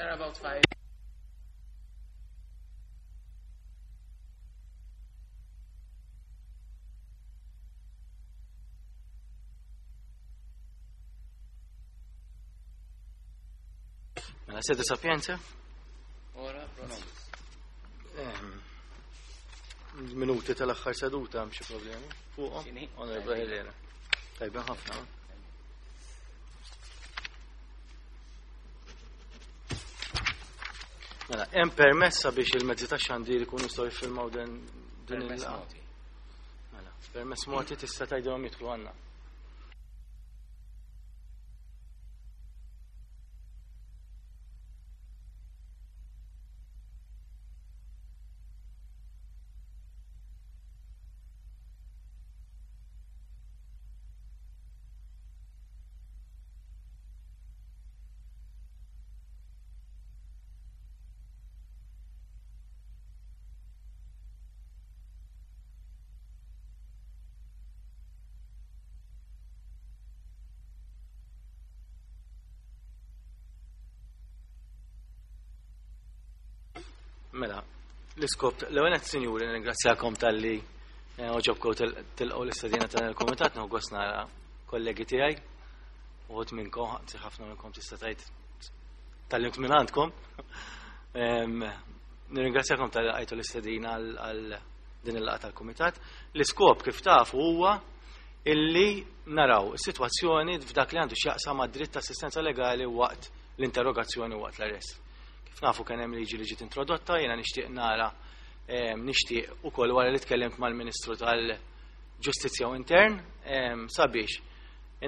There are about 5. Mela sede sapienza? Ora pro nobis. Minuti tal-aħħar seduta hemm xi problemi fuqhom? Onorevole Helena. Tajba ħafna. Mela, hemm permess sabiex il-mezzi tax-xandir ikunu jistgħu jiffilmaw din din il-laqgħa. Mela, permess mogħti tista' tgħidilhom jidħlu għandna. Mela, l-iskop, l-ewwel qed sinjuri nirringrazzjakom talli eh, oġobkom tilqgħu l-istedina tal il-kumitat nieħu gost nara kollegi tiegħi. Uħud minnkom, anzi ħafna minnkom tista' tgħid tal-limt minn għandkom. Nirringrazzjakom tal għajtu l-istedina għal din il-laqgħa tal-kumitat. L-iskop kif tafu huwa illi naraw is-sitwazzjoni f'dak li għandu x'jaqsam ma' dritt ta' assistenza legali waqt l-interrogazzjoni waqt l-arrest. Kif nafu kien hemm liġi li ġiet introdotta, jiena nixtieq nara nixtieq ukoll wara li tkellimt mal-Ministru tal-Ġustizzja u Intern sabiex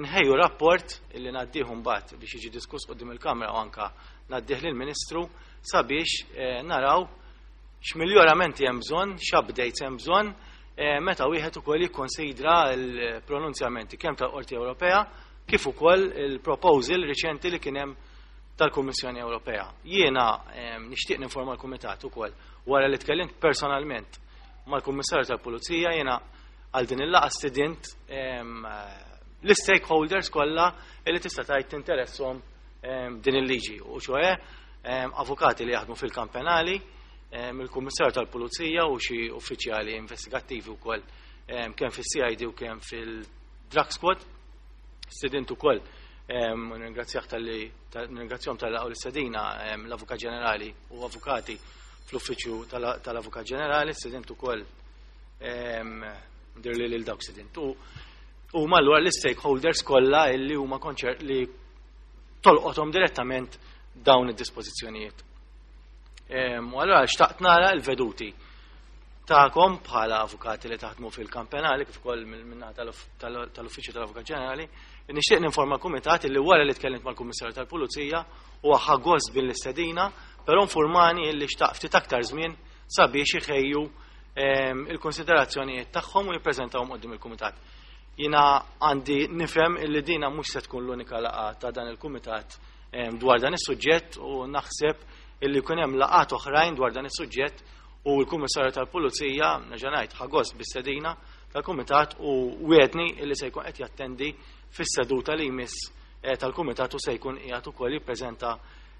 inħejju rapport illi ngħaddih mbagħad biex jiġi diskuss quddiem il-Kamra u anka ngħaddih lill-Ministru sabiex eh, naraw x'miljoramenti hemm bżonn, x'updates hemm bżonn eh, meta wieħed ukoll jikkonsidra l-pronunzjamenti kemm tal-Qorti Ewropea kif ukoll il-proposal riċenti li kien hemm tal-Kummissjoni Ewropea. Jiena eh, nixtieq ninforma l-Kumitat ukoll wara li tkellimt personalment mal-Kummissarju tal-Pulizija jiena għal din il-laqgħa stidint l-stakeholders kollha li tista' tgħid tinteresshom din il-liġi u ċoe avukati li jaħdmu fil-kamp penali, il-Kummissarju tal-Pulizija u xi uffiċjali investigattivi wkoll kemm fis-CID u kemm fil-Drug Squad. Stidint ukoll nirringrazzjah talli nirringrazzjahom tal l-istedina l-Avukat Ġenerali u avukati fl-Uffiċċju tal-Avukat Ġenerali, stidint ukoll dir li lil dawk stidint. U huma allura l-stakeholders kollha illi huma konċer li tolqothom direttament dawn id-dispożizzjonijiet. U allura xtaqt nara l-veduti tagħkom bħala avukati li taħdmu fil-kamp penali kif ukoll minnaħa tal-Uffiċċju tal-Avukat Ġenerali, nixtieq ninforma l-Kumitat li wara li tkellimt mal-Kummissarju tal-Pulizija huwa ħa gost bil-istedina, però informani li xtaq ftit aktar żmien sabiex iħejju il-konsiderazzjonijiet tagħhom u jippreżentawhom quddiem il-Kumitat. Jiena għandi nifhem illi dina mhux se tkun l-unika laqgħa ta' dan il-Kumitat dwar dan is-suġġett u naħseb illi jkun hemm laqgħat oħrajn dwar dan is-suġġett u l-Kummissarju tal-Pulizija nerġa' ngħid ħa gost bis-sedina tal-Kumitat u wiegħdni illi se jkun qed jattendi fis-seduta li jmiss eh, tal-Kumitat u se jkun qiegħed ukoll jippreżenta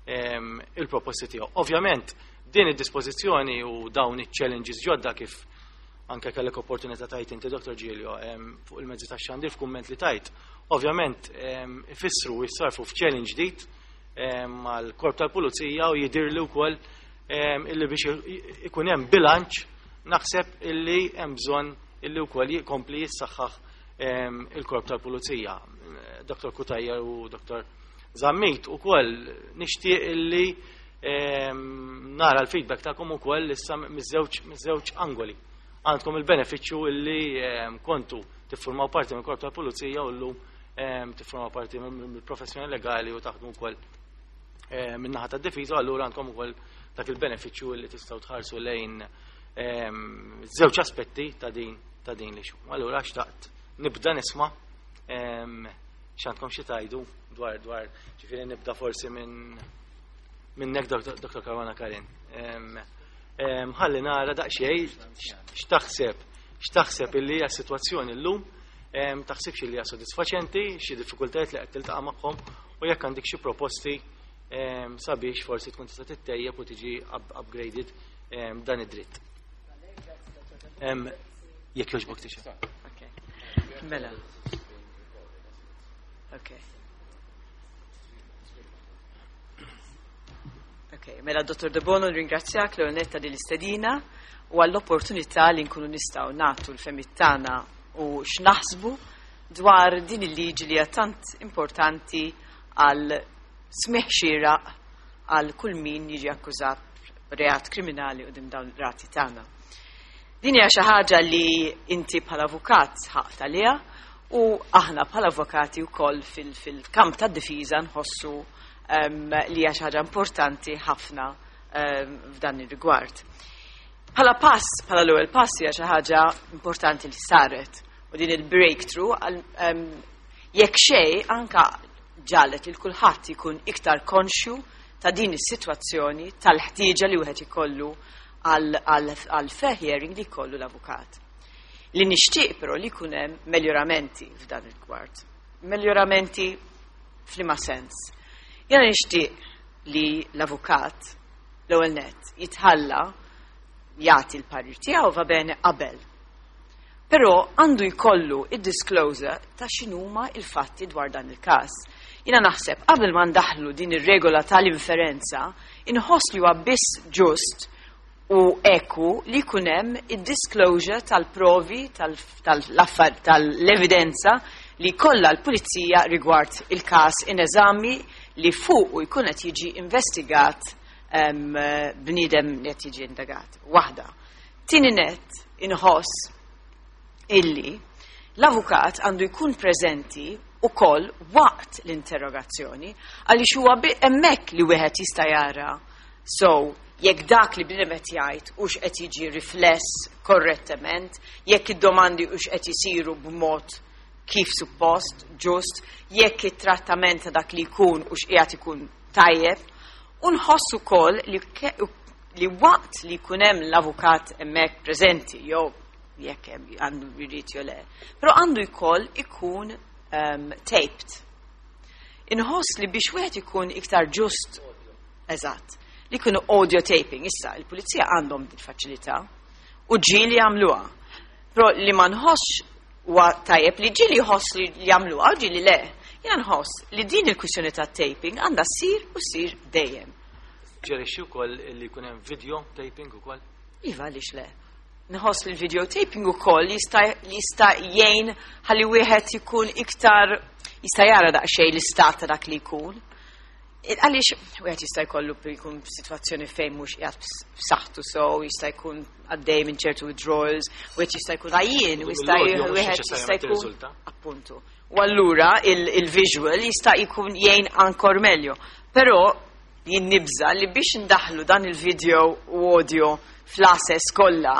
il-proposti tiegħu. Ovvjament, din id-dispożizzjoni u dawn iċ-challenges ġodda kif anke kellek opportunità tajt inti Dr. Giglio fuq il-mezzi tax-xandir f'kumment li tajt, ovvjament ifissru u jissarfu f'challenge ġdid mal-korp tal-pulizija u jidirli wkoll illi biex ikun hemm bilanċ naħseb illi hemm bżonn illi wkoll jikompli jissaħħaħ il-korp tal-pulizija. Dr. Cutajar u Dr. Zammit ukoll nixtieq illi nara l-feedback tagħkom ukoll issa miż-żewġ angoli. Għandkom il-benefiċċju illi kontu tiffurmaw parti mill-korp tal-pulizija u llum tiffurmaw parti mill-professjoni legali u taħdmu wkoll min-naħa tad-difiża, allura għandkom ukoll dak il-benefiċċju illi tistgħu tħarsu lejn żewġ aspetti ta' din ta' din li xu. Allura xtaqt nibda nisma' x'għandkom xi tgħidu dwar dwar ġifieri nibda forsi minn minnek Dr. Caruana Karin. Ħalli nara daqsxejn x'taħseb x'taħseb illi hija s-sitwazzjoni llum, taħsibx illi hija sodisfaċenti, xi diffikultajiet li qed tiltaqa' magħhom u jekk għandek xi proposti Sabiex forsi tkun tista' tittejjeb u tiġi upgraded dan id-dritt. Jekk jogħġbok tixha. Mela. Okay. Okay, mela Dottor De Bono nringrazzjak l netta din l-istedina u għall-opportunità li nkunu nistgħu nagħtu l-fehmiet tagħna u x'naħsbu dwar din il-liġi li hija tant importanti għal smigħ xieraq għal kull min jiġi akkużat reat kriminali quddiem dawn ir-rati tagħna. Din hija xi ħaġa li inti bħala avukat sħaqt għaliha u aħna bħala avukati wkoll fil-kamp tad-difiża nħossu li hija xi ħaġa importanti ħafna f'dan ir-rigward. Bħala pass, bħala l-ewwel pass hija xi ħaġa importanti li saret u din il-breakthrough jekk xejn anka ġalet il kulħadd ikun iktar konxju ta' din is-sitwazzjoni tal-ħtieġa li wieħed ikollu għal fair hearing li jkollu l-avukat. Li nixtieq però li jkun hemm meljoramenti f'dan il-kwart. Meljoramenti f'liema sens? Jiena nixtieq li l-avukat l-ewwel nett jitħalla jagħti l-parir tiegħu va bene qabel. Però għandu jkollu id-disclosure ta' x'inhuma il-fatti dwar dan il-każ. Jiena naħseb qabel ma ndaħlu din ir-regola tal-inferenza, inħoss li huwa biss ġust u eku li jkun hemm id-disclosure tal-provi tal-evidenza li kollha l-pulizija rigward il-każ in eżami li fuq u jkun qed jiġi investigat bniedem li qed jiġi indagat. Waħda. Tieni net inħoss illi l-avukat għandu jkun preżenti ukoll waqt l-interrogazzjoni għaliex huwa hemmhekk li wieħed jista' jara so jekk dak li bniedem qed jgħid hux qed jiġi rifless korrettement, jekk id-domandi hux qed isiru b'mod kif suppost, ġust, jekk it-trattament ta' dak li jkun hux qiegħed ikun tajjeb, u nħoss ukoll li waqt li jkun hemm l-avukat hemmhekk preżenti jew jekk hemm għandu jrid jew le, però għandu jkoll ikun taped. Inħoss li biex wieħed ikun iktar ġust, eżatt, li jkunu audio taping, issa il-pulizija għandhom din faċilità u ġieli jagħmluha. Però li ma nħossx huwa tajjeb li ġieli jħoss li jagħmluha u ġieli le. Jiena nħoss li din il-kwistjoni ta' taping għandha ssir u ssir dejjem. Ġerixxi wkoll li jkun hemm video taping ukoll? Iva, għaliex le. Nħoss li l-video taping ukoll jista' jgħin ħalli wieħed ikun iktar jista' jara daqsxejn l-istat ta' dak li jkun. Għaliex wieħed jista' jkollu jkun f'sitwazzjoni fejn mhux qiegħed b'saħħtu so, jista' jkun għaddej minn ċertu withdrawals, wieħed jista' jkun għajjien, u jista' Mill-audio mhux wieħed neċessarjament jista' jkun tirriżulta. Appuntu. U allura il-visual jista' jkun jgħin ankor meglio. Però jien nibża li biex ndaħlu dan il-video u audio fl-assess kollha,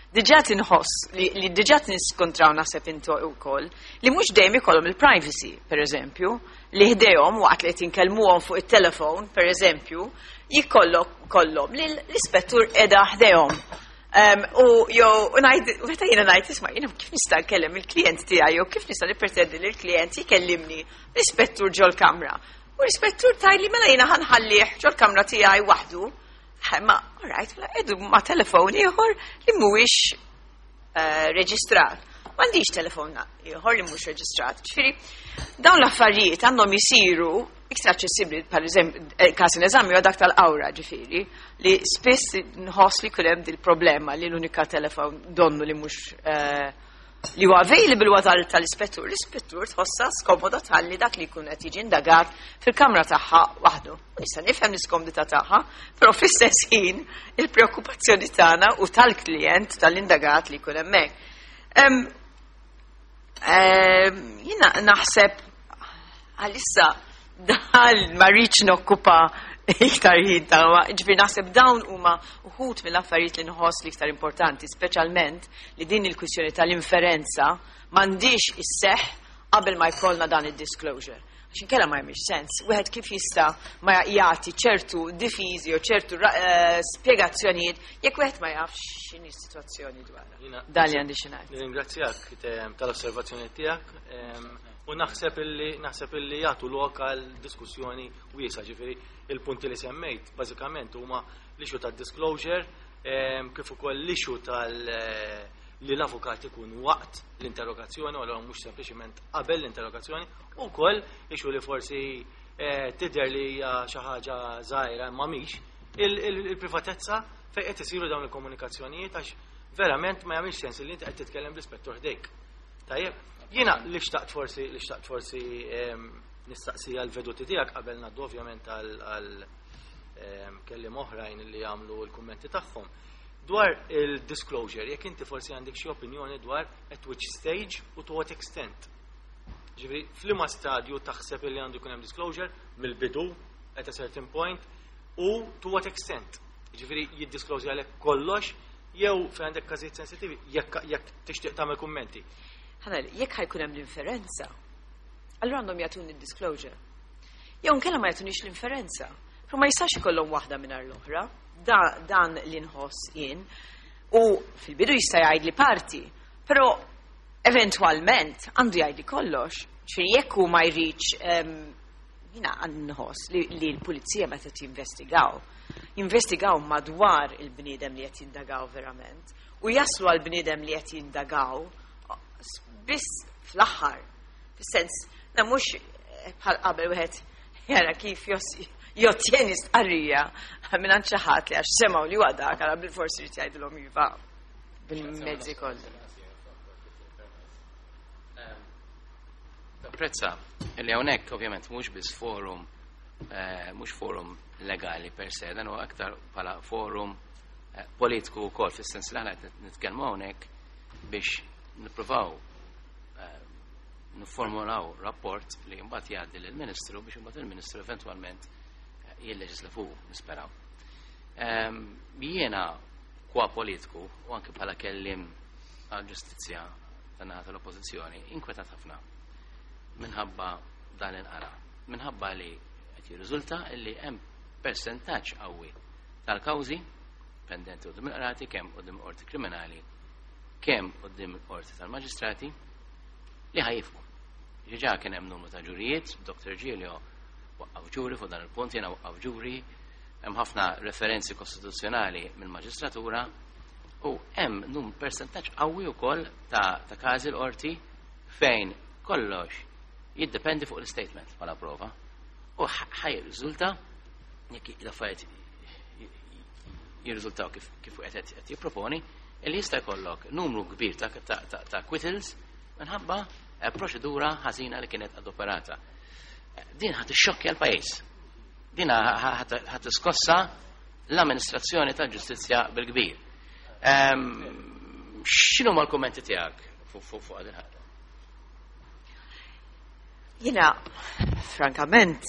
diġà tinħoss li diġà niskontraw naħseb intu wkoll li mhux dejjem ikollhom il-privacy, per eżempju, li ħdejhom waqt li qed jinkellmuhom fuq it-telefon, per eżempju, jikollok kollhom li l-ispettur qiegħda ħdejhom. U jew u ngħid, u meta jiena ngħid, isma' jiena kif nista' nkellem il-klient tiegħi jew kif nista' nippretendi li l-klient jkellimni l-ispettur ġol-kamra. U l-ispettur tgħidli mela jiena ħanħallih ġol-kamra tiegħi waħdu. Ma, all right, mela edu ma' telefon ieħor li mhuwiex reġistrat. M'għandix telefon ieħor li mhux reġistrat. Ġifieri, dawn l-affarijiet għandhom isiru iktar aċċessibbli, per eżempju, każ in eżami huwa dak tal-Qawra, ġifieri, li spiss nħoss li kull hemm dil-problema li l-unika telefon donnu li mhux li huwa available huwa tal-ispettur. L-ispettur tħossha skomoda tħalli dak li jkun qed jiġi indagat fil-kamra tagħha waħdu. U nista' nifhem l-iskomdità tagħha, però fl-istess ħin il-preokkupazzjoni tagħna u tal-klient tal-indagat li jkun hemmhekk. Jiena naħseb għalissa dal ma rridx nokkupa iktar ħin ta' ġifieri naħseb dawn huma uħud mill-affarijiet li nħoss li iktar importanti, speċjalment li din il-kwistjoni tal-inferenza m'għandix isseħħ qabel ma jkollna dan id-disclosure. Għax inkella ma jagħmilx sens. Wieħed kif jista' ma jagħti ċertu difiżi u ċertu spjegazzjonijiet jekk wieħed ma jafx x'inhi s-sitwazzjoni dwarha. Jiena Dan li għandi xi ngħid. Nirringrazzjak tal-osservazzjoni tiegħek. U naħseb illi naħseb illi jagħtu lok għal diskussjoni wiesgħa, ġifieri il-punti li semmejt bażikament huma l-issue tad-disclosure kif ukoll l-issue tal li l-avukat ikun waqt l-interrogazzjoni u allura mhux sempliċiment qabel l-interrogazzjoni u wkoll issue li forsi tidher li hija xi ħaġa żgħira imma mhix il-privatezza fejn qed isiru dawn il-komunikazzjonijiet għax verament ma jagħmilx sens li inti qed titkellem bl-ispettur ħdejk. Tajjeb, jiena li xtaqt forsi li xtaqt forsi nistaqsija l-veduti tiegħek qabel ngħaddu ovvjament għal kelliem oħrajn li jagħmlu l-kummenti tagħhom. Dwar il-disclosure, jekk inti forsi għandek xi opinjoni dwar at which stage u to what extent. Ġifieri, f'liema stadju taħseb li għandu jkun hemm disclosure mill-bidu at a certain point u to what extent. Ġifieri jiddisclose għalek kollox jew fejn għandek każijiet sensittivi jekk tixtieq tagħmel kummenti. Ħanel, jekk ħa jkun hemm l-inferenza, allura għandhom jagħtuni d-disclosure. Jew nkella ma jagħtunix l-inferenza. Però ma jistax ikollhom waħda mingħajr l-oħra. Dan li nħoss jien. U fil-bidu jista' jgħid li parti, però eventwalment għandu jgħid li kollox. Ġifieri jekk hu ma jridx, jiena nħoss li l-pulizija meta jinvestigaw, jinvestigaw madwar il-bniedem li qed jindagaw verament u jaslu għal bniedem li qed jindagaw biss fl-aħħar. Fis-sens, na mhux bħal qabel wieħed jara kif jottjeni stqarrija minn għand xi ħadd li għax semgħu li huwa dak għala bil-forsi jrid jgħidilhom iva bil-mezzi kollha. Tapprezza li hawnhekk ovvjament mhux biss forum, mhux forum legali per se, dan huwa aktar bħala forum politiku wkoll, fis-sens li aħna qed nitkellmu hawnhekk biex nippruvaw nifformulaw rapport li mbagħad jgħaddi lill-Ministru biex imbagħad il-Ministru eventwalment jilleġisla fuq, nisperaw. Jiena kwa politiku u anke bħala kellim għal-ġustizzja tan-naħa tal-Oppożizzjoni inkwetat ħafna minħabba dan il-qara, minħabba li qed jirriżulta li hemm persentaġġ qawwi tal-kawżi pendenti quddiem il-qrati, kemm quddiem il-qorti kriminali, kemm quddiem il-qorti tal-maġistrati, li ħa jieqfu. Ġiġa kien hemm numru ta' ġurijiet, Dr. Giglio waqqaf ġuri fuq dan il-punt, jiena waqqaf ġuri, hemm ħafna referenzi kostituzzjonali mill-maġistratura u hemm num persentaġġ qawwi wkoll ta' każi l-qorti fejn kollox jiddependi fuq l-statement bħala prova. U ħa jirriżulta jekk l-affarijiet jirriżultaw kif qed jipproponi, li jista' jkollok numru kbir ta' acquittals minħabba proċedura ħażina li kienet adoperata. Din ħa tixxokkja l-pajjiż. Din ħa tiskossa l-amministrazzjoni tal-ġustizzja bil-kbir. X'inhu mal-kummenti tiegħek fuq din ħaġa? Jiena, frankament,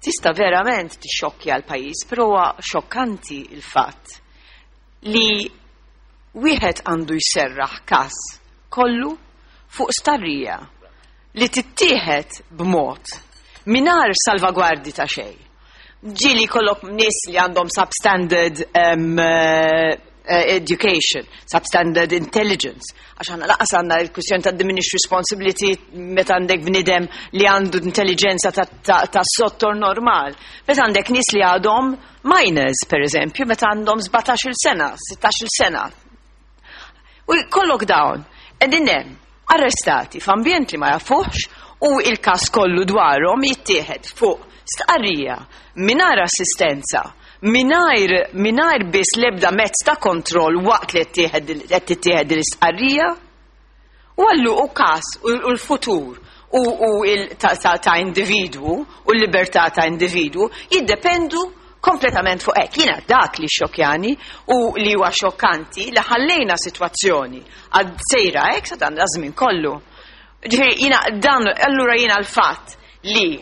tista' verament tixxokkja l-pajjiż, però huwa xokkanti il-fatt li wieħed għandu jserraħ każ kollu fuq starrija li tittieħed b'mod mingħajr salvagwardi ta' xejn. Ġieli kollok nies li għandhom substandard education, substandard intelligence. Għax għandna lanqas għandna il-kwistjoni ta' diminished responsibility meta għandek bniedem li għandu intelligenza ta' sottor normal. Meta għandek nies li għadhom minors, per eżempju, meta għandhom 17-il sena, 16-il sena. U kollok dawn, qegħdin hemm, arrestati f'ambjent li ma jafuħx u il-kas kollu dwarhom jittieħed fuq stqarrija mingħajr assistenza, mingħajr biss l-ebda mezz ta' kontroll waqt li qed tittieħed l-istqarrija. U għallu u kas u l-futur u ta' individwu u l-libertà ta' individwu jiddependu kompletament fuq hekk. Jiena dak li xokjani u li huwa xokkanti li ħallejna sitwazzjoni għad sejra hekk sa dan l-żmien kollu. Ġifieri jiena dan allura jiena l-fatt li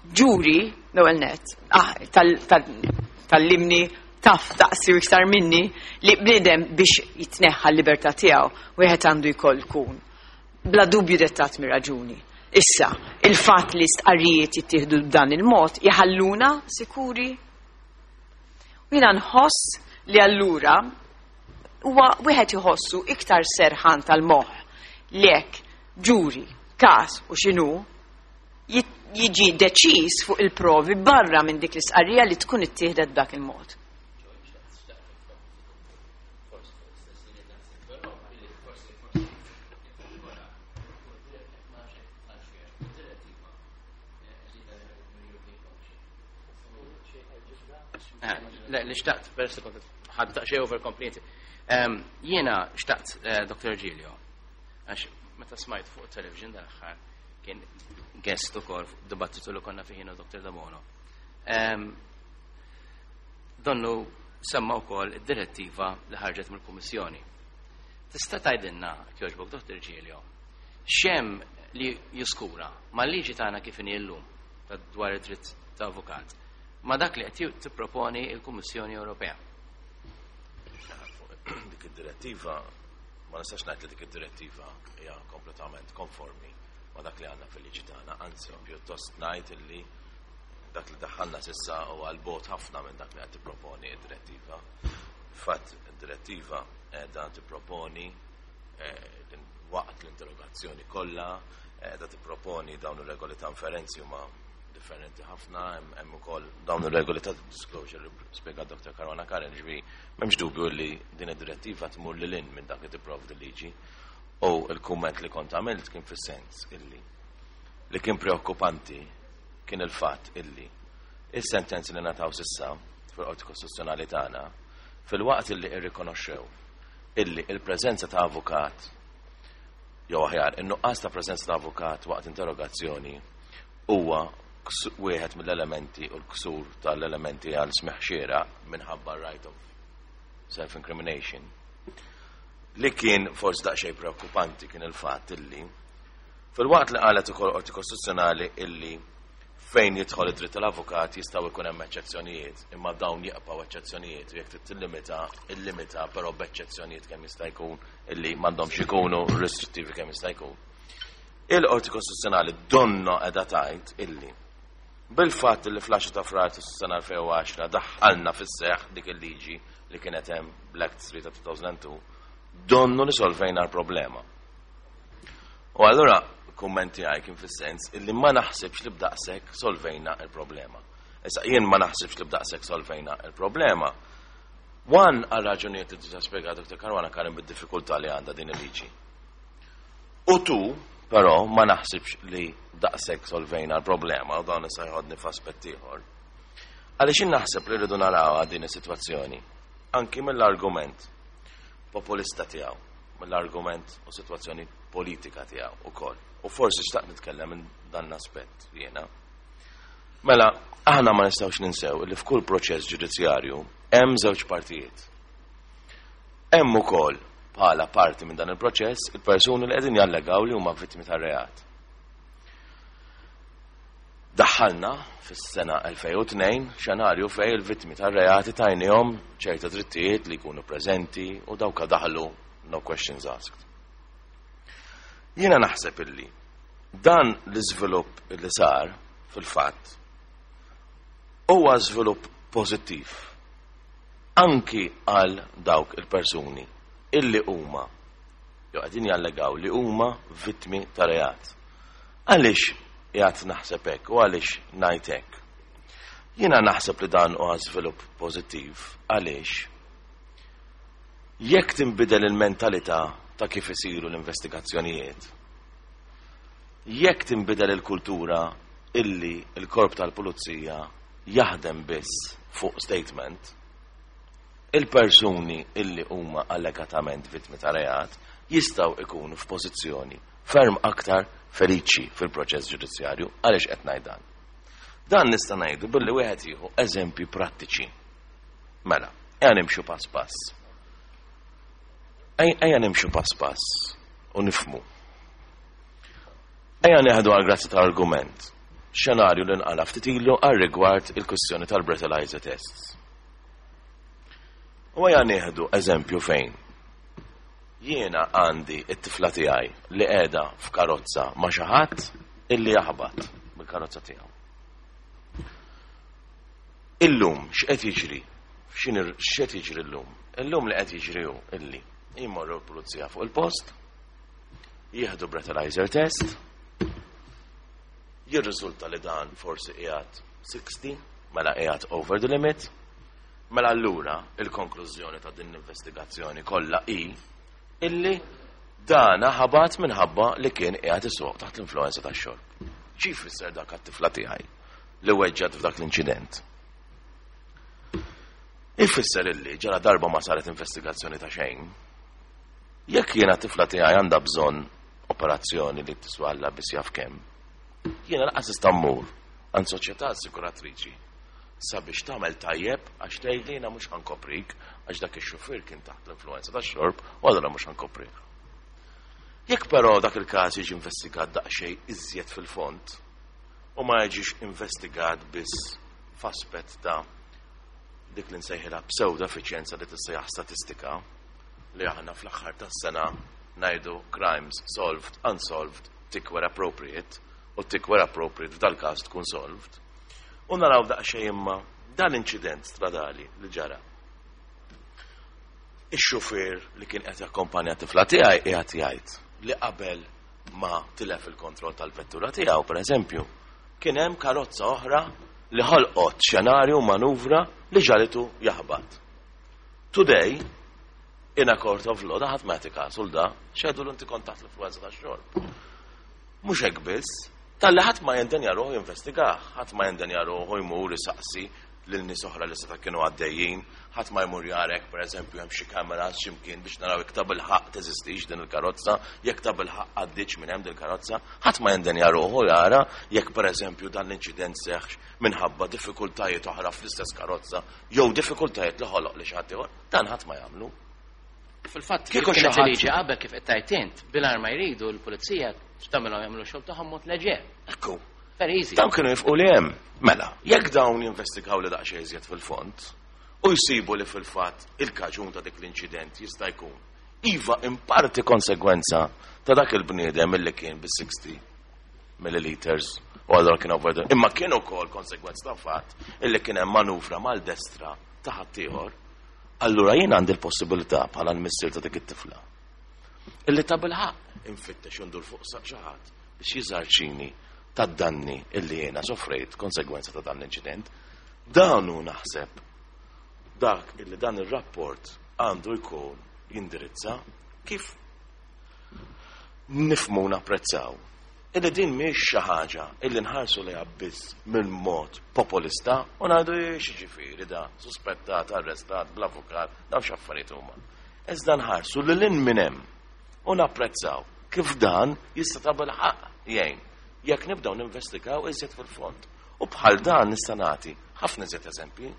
ġuri l-ewwel nett, tal-limni taf taqsi u iktar minni li bniedem biex jitneħħa l-libertà tiegħu wieħed għandu jkoll kun bla dubju dettat mir-raġuni. Issa, il-fatt li stqarrijiet jittieħdu b'dan il-mod jħalluna sikuri. U jiena nħoss li allura huwa wieħed iħossu iktar serħan tal-moħħ li hekk ġuri, każ u x'inhu, jiġi deċiż fuq il-provi barra minn dik l-istqarrija li tkun ittieħdet b'dak il-mod. Le, li xtaqt, peress li kont ħadd daqsxejn over complete. Jiena xtaqt, Dr. Giglio, għax meta smajt fuq television dal-aħħar kien guest ukoll fuq dibattitu li konna fih jiena u Dr. Debono. Donnu semma wkoll id-direttiva li ħarġet mill-Kummissjoni. Tista' tgħidilna jogħġbok, Dr. Giglio, x'hemm li jiskura mal-liġi tagħna kif inhi llum ta' dwar id-dritt ta' avukat ma' dak li qed tipproponi l-Kummissjoni Ewropea? Dik id-direttiva, ma nistax ngħid li dik id-direttiva hija kompletament konformi ma' dak li għandna fil-liġi tagħna, anzi pjuttost ngħid illi dak li daħħalna s'issa huwa 'l bogħod ħafna minn dak li qed tipproponi d-direttiva. Fatt, id-direttiva qiegħda tipproponi waqt l-interrogazzjoni kollha, qiegħda tipproponi dawn ir-regoli ta' inferenzi huma differenti ħafna, hemm ukoll dawn ir-regoli ta' disclosure li spjegat Dr. Caruana Curran, ġifieri m'hemmx dubju li din id-direttiva tmur lil hinn minn dak li tipprovdi l-liġi. U l-kumment li kont għamilt kien fis-sens illi li kien preokkupanti kien il-fatt illi is-sentenzi li ngħataw s'issa fil-Qorti Kostituzzjonali tagħna fil-waqt illi irrikonoxxew illi il-preżenza ta' avukat jew aħjar in-nuqqas ta' preżenza ta' avukat waqt interrogazzjoni huwa wieħed mill-elementi u l-ksur tal-elementi għal smigħ xieraq minħabba right of self-incrimination. Li kien forsi daqsxejn preokkupanti kien il-fatt illi fil-waqt li qalet ukoll Qorti Kostituzzjonali illi fejn jidħol id-dritt tal-avukat jistgħu jkun hemm eċċezzjonijiet, imma dawn jibqgħu eċċezzjonijiet u jekk trid tillimita, illimita però b'eċċezzjonijiet kemm jista' jkun illi m'għandhomx ikunu restrittivi kemm jista' jkun. Il-Qorti Kostituzzjonali donna qiegħda tgħid illi bil-fatt li fl-10 ta' Frar tas-sena 2010 daħħalna fis-seħħ dik il-liġi li kienet hemm bl-Act 3 ta' 2002, donnu li solvejna l-problema. U allura kumment tiegħi kien fis-sens illi ma naħsibx li b'daqshekk solvejna il-problema. Issa jien ma naħsibx li b'daqshekk solvejna il-problema. One għal raġunijiet li diġà spjegat Dr. Caruana Curran bid-diffikultà li għandha din il-liġi. U tu, però ma naħsibx li daqshekk solvejna l-problema u dan issa jħodni f'aspett ieħor. Għaliex jien naħseb li rridu naraw din is-sitwazzjoni anki mill-argument populista tiegħu, mill-argument u sitwazzjoni politika tiegħu ukoll. U forsi xtaqt nitkellem minn dan l-aspett jiena. Mela, aħna ma nistgħux ninsew li f'kull proċess ġudizzjarju hemm żewġ partijiet. Hemm ukoll bħala parti minn dan il-proċess il-persuni li qegħdin jallegaw li huma vittmi tar-reat. Daħħalna fis-sena 2002 xenarju fej il-vittmi tar-reati tajnihom ċerta drittijiet li jkunu preżenti u dawka daħlu no questions asked. Jiena naħseb illi dan l-iżvilupp li sar fil-fatt huwa żvilupp pożittiv anki għal dawk il-persuni illi huma jew qegħdin jallegaw li huma vittmi ta' reat. Għaliex qiegħed naħseb hekk u għaliex ngħid hekk? Jiena naħseb li dan huwa żvilupp pożittiv għaliex jekk tinbidel il-mentalità ta' kif isiru l-investigazzjonijiet, jekk tinbidel il-kultura illi il-korp tal-pulizija jaħdem biss fuq statement, il-persuni illi huma allegatament vittmi ta' reat jistgħu ikunu f'pożizzjoni ferm aktar feliċi fil-proċess ġudizzjarju. Għaliex qed ngħid dan? Dan nista' ngħidu billi wieħed jieħu eżempji prattiċi. Mela, ejja nimxu pass pass. Ejja nimxu pass pass u nifmu. Ejja nieħdu għal grazzi ta' argument xenarju li nqala ftit ilu għal rigward il-kwistjoni tal-breathalyzer tests. U ejja nieħdu eżempju fejn jiena għandi it-tifla tiegħi li qiegħda f'karozza ma' xi ħadd illi jaħbat bil-karozza tiegħu. Illum x'qed jiġri? X'qed jiġri llum? Illum li qed jiġri hu illi jmorru l-pulizija fuq il-post, Jieħdu breathalyzer test, jirriżulta li dan forsi qiegħed 60, mela qiegħed over the limit, mela allura il-konklużjoni ta' din l-investigazzjoni kollha hi illi dana ħabat minħabba li kien qiegħed isuq taħt l-influenza tax-xorb. Xi jfisser dak għat-tifla tiegħi li weġġat f'dak l-inċident? Ifisser illi ġara darba ma saret investigazzjoni ta' xejn. Jekk jiena tifla tiegħi għandha bżonn operazzjoni li tiswa Alla biss jaf kemm, jiena lanqas nista' mmur għand soċjetà assikuratriċi sabiex tagħmel tajjeb għax tgħidli jiena mhux ħa nkoprik għax dak ix-xufier kien taħt l-influenza tax-xorb u allura mhux ħa nkoprik. Jekk però dak il-każ jiġi investigat daqsxejn iżjed fil-fond u ma jiġix investigat biss f'aspett ta' dik li nsejħilha pseudo-effiċjenza li tissejjaħ statistika li aħna fl-aħħar tas-sena ngħidu crimes solved, unsolved, tick where appropriate, u tick where appropriate f'dal-każ tkun solved. U naraw daqsxejn imma dan l-inċident stradali li ġara. Ix-xufier li kien qed jakkompanja tifla tiegħi qiegħed jgħid li qabel ma tilef il-kontroll tal-vettura tiegħu, pereżempju, kien hemm karozza oħra li ħolqot xenarju u manuvra li ġalitu jaħbat. Today, in a court of law, da ħadd ma jagħti kasu l da, xedu l inti kont taħt l-influenza tax-xorb. Mhux hekk biss, talli ħadd ma jendenja ruħu jinvestigah, ħadd ma jendenja ruħu jmur isaqsi lil nies oħra li seta' kienu għaddejjin, ħadd ma jmur jarek, pereżempju hemm xi kameras x'imkien biex naraw jekk ta' bilħaqq teżistix din il-karozza, jekk ta' bilħaqq għaddietx minn hemm din il-karozza, ħadd ma jendenja ruħu jara jekk pereżempju dan l-inċident seħħx minħabba diffikultajiet oħra fl-istess karozza jew diffikultajiet li ħoloq li xi ħadd ieħor, dan ħadd ma jagħmlu. Fil-fatt, kieku xi ħadd liġi qabel kif qed tgħid int, bil ma jridu l-pulizija tagħmilhom jagħmlu xogħol tagħhom mod leġer. Ekku. Very easy. Dawn kienu jifqu li hemm. Mela, jekk dawn jinvestigaw li daqsxejn iżjed fil-fond u jsibu li fil-fatt il-kaġun ta' dik l-inċident jista' jkun iva in parti konsegwenza ta' dak il-bniedem illi kien bi 60 milliliters u allura kien over imma kien ukoll konsegwenza ta' fatt illi kien hemm manuvra mal-destra ta' ħaddieħor, allura jien għandi l-possibilità bħala l-missier ta' dik it-tifla illi ta' bilħaqq infittex u ndur fuq xi ħadd biex jiżarċini tad-danni illi jiena soffrejt konsegwenza ta' dan l-inċident. Dan hu naħseb dak illi dan ir-rapport għandu jkun jindirizza kif nifmu napprezzaw. Illi din mhix xi ħaġa illi nħarsu lejha biss minn mod populista u ngħidu jiġifieri da suspettat, arrestat, bl-avukat, dawn x'affarijiet huma. Iżda nħarsu lil hinn minn hemm u napprezzaw kif dan jista' ta' bilħaqq jgħin jekk nibdew ninvestigaw iżjed fil-fond. U bħal dan nista' nagħti ħafna iżjed eżempji.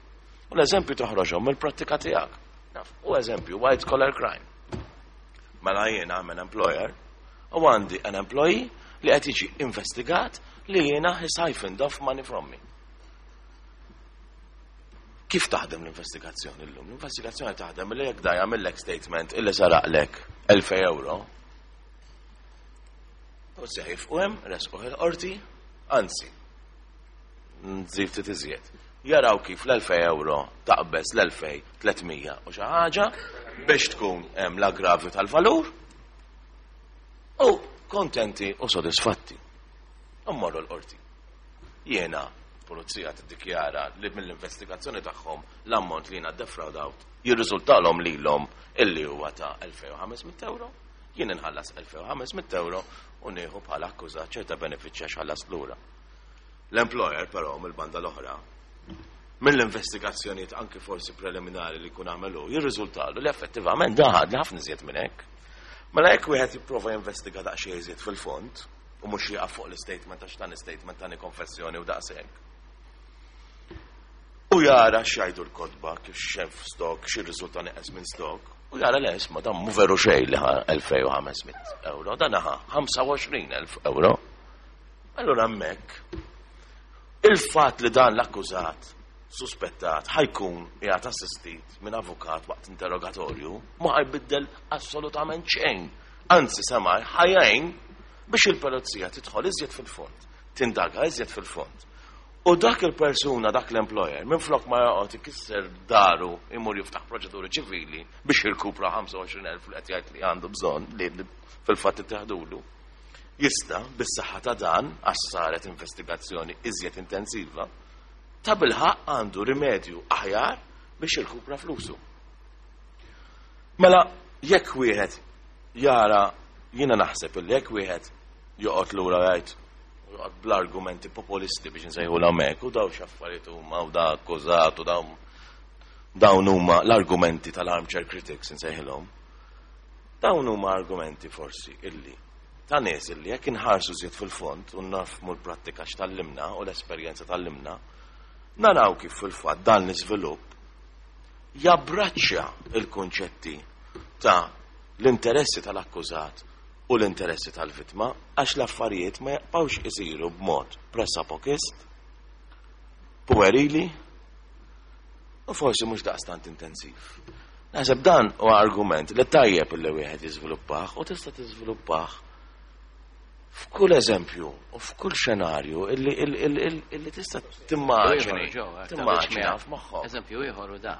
U l-eżempju toħroġhom mill-prattika tiegħek. Naf, u eżempju white collar crime. Mela jiena an employer u għandi an employee li qed jiġi investigat li jiena he siphoned off money from me. Kif taħdem l-investigazzjoni llum? L-investigazzjoni taħdem li jekk da jagħmellek statement illi saraqlek 1000 euro. U sejf u hemm resquh il-qorti, anzi, nżid ftit iżjed. Jaraw kif l-2000 euro taqbeż l-2300 u xi ħaġa biex tkun hemm l-aggravju tal-valur u kontenti u sodisfatti. U mmorru l-qorti. Jiena pulizija tiddikjara li mill-investigazzjoni tagħhom l-ammont li jiena defraudawt jirriżultalhom lilhom illi huwa ta' 2500 euro. Jien inħallas 2500 euro u nieħu bħala akkużat ċerta benefiċċja x'ħallas lura. L-employer però mill-banda l-oħra mill-investigazzjonijiet anki forsi preliminari li jkun għamelu jirriżultalu li effettivament daħad li ħafna iżjed minn hekk. Mela jekk wieħed jipprova jinvestiga daqsxejn iżjed fil-fond u mhux jieqaf fuq l-statement għax dan statement tani konfessjoni u daqshekk. U jara x'jgħidu l-kotba kif x'hemm stock, x'irriżulta neqes minn stock, u jara le isma' dan mhu veru xejn li ħa 2500 euro, dan ħa 25,000 euro. Allura hemmhekk il-fatt li dan l-akkużat suspettat ħa jkun qiegħed assistit minn avukat waqt interrogatorju ma ħajbiddel assolutament xejn. Anzi semmai ħa jgħin biex il-polizija tidħol iżjed fil-fond, tindaga iżjed fil-fond. U dak il-persuna, dak l-employer, minn flok ma joqgħod ikisser daru imur jiftaħ proċeduri ċivili biex jirkupra 25,000 li qed jgħid li għandu bżonn li fil-fatt ittieħdulu. Jista' bis-saħħa ta' dan għax saret investigazzjoni iżjed intensiva, ta' bilħaq għandu rimedju aħjar biex jirkupra flusu. Mela, jekk wieħed jara, jiena naħseb illi jekk wieħed joqgħod lura jgħid joqgħod bl-argumenti populisti biex nsejħu l-hekk u daw x'affarijiet huma u da akkużat u dawn huma l-argumenti tal-armchair critics nsejħilhom. Dawn huma argumenti forsi illi ta' nies illi jekk inħarsu żied fil-fond u nafmu l-prattika x'tallimna u l-esperjenza tallimna, naraw kif fil-fatt dan l-iżvilupp jabbraċċja il-kunċetti ta' l-interessi tal-akkużat u l-interessi tal-vittma għax l-affarijiet ma jaqbawx isiru b'mod pressapokist, puerili u forsi mhux daqstant intensiv. Naħseb dan huwa argument li tajjeb li wieħed jiżviluppah u tista' tiżviluppah f'kull eżempju u f'kull xenarju illi tista' timmaġini. Timmaġina f'moħħok. Eżempju ieħor u da.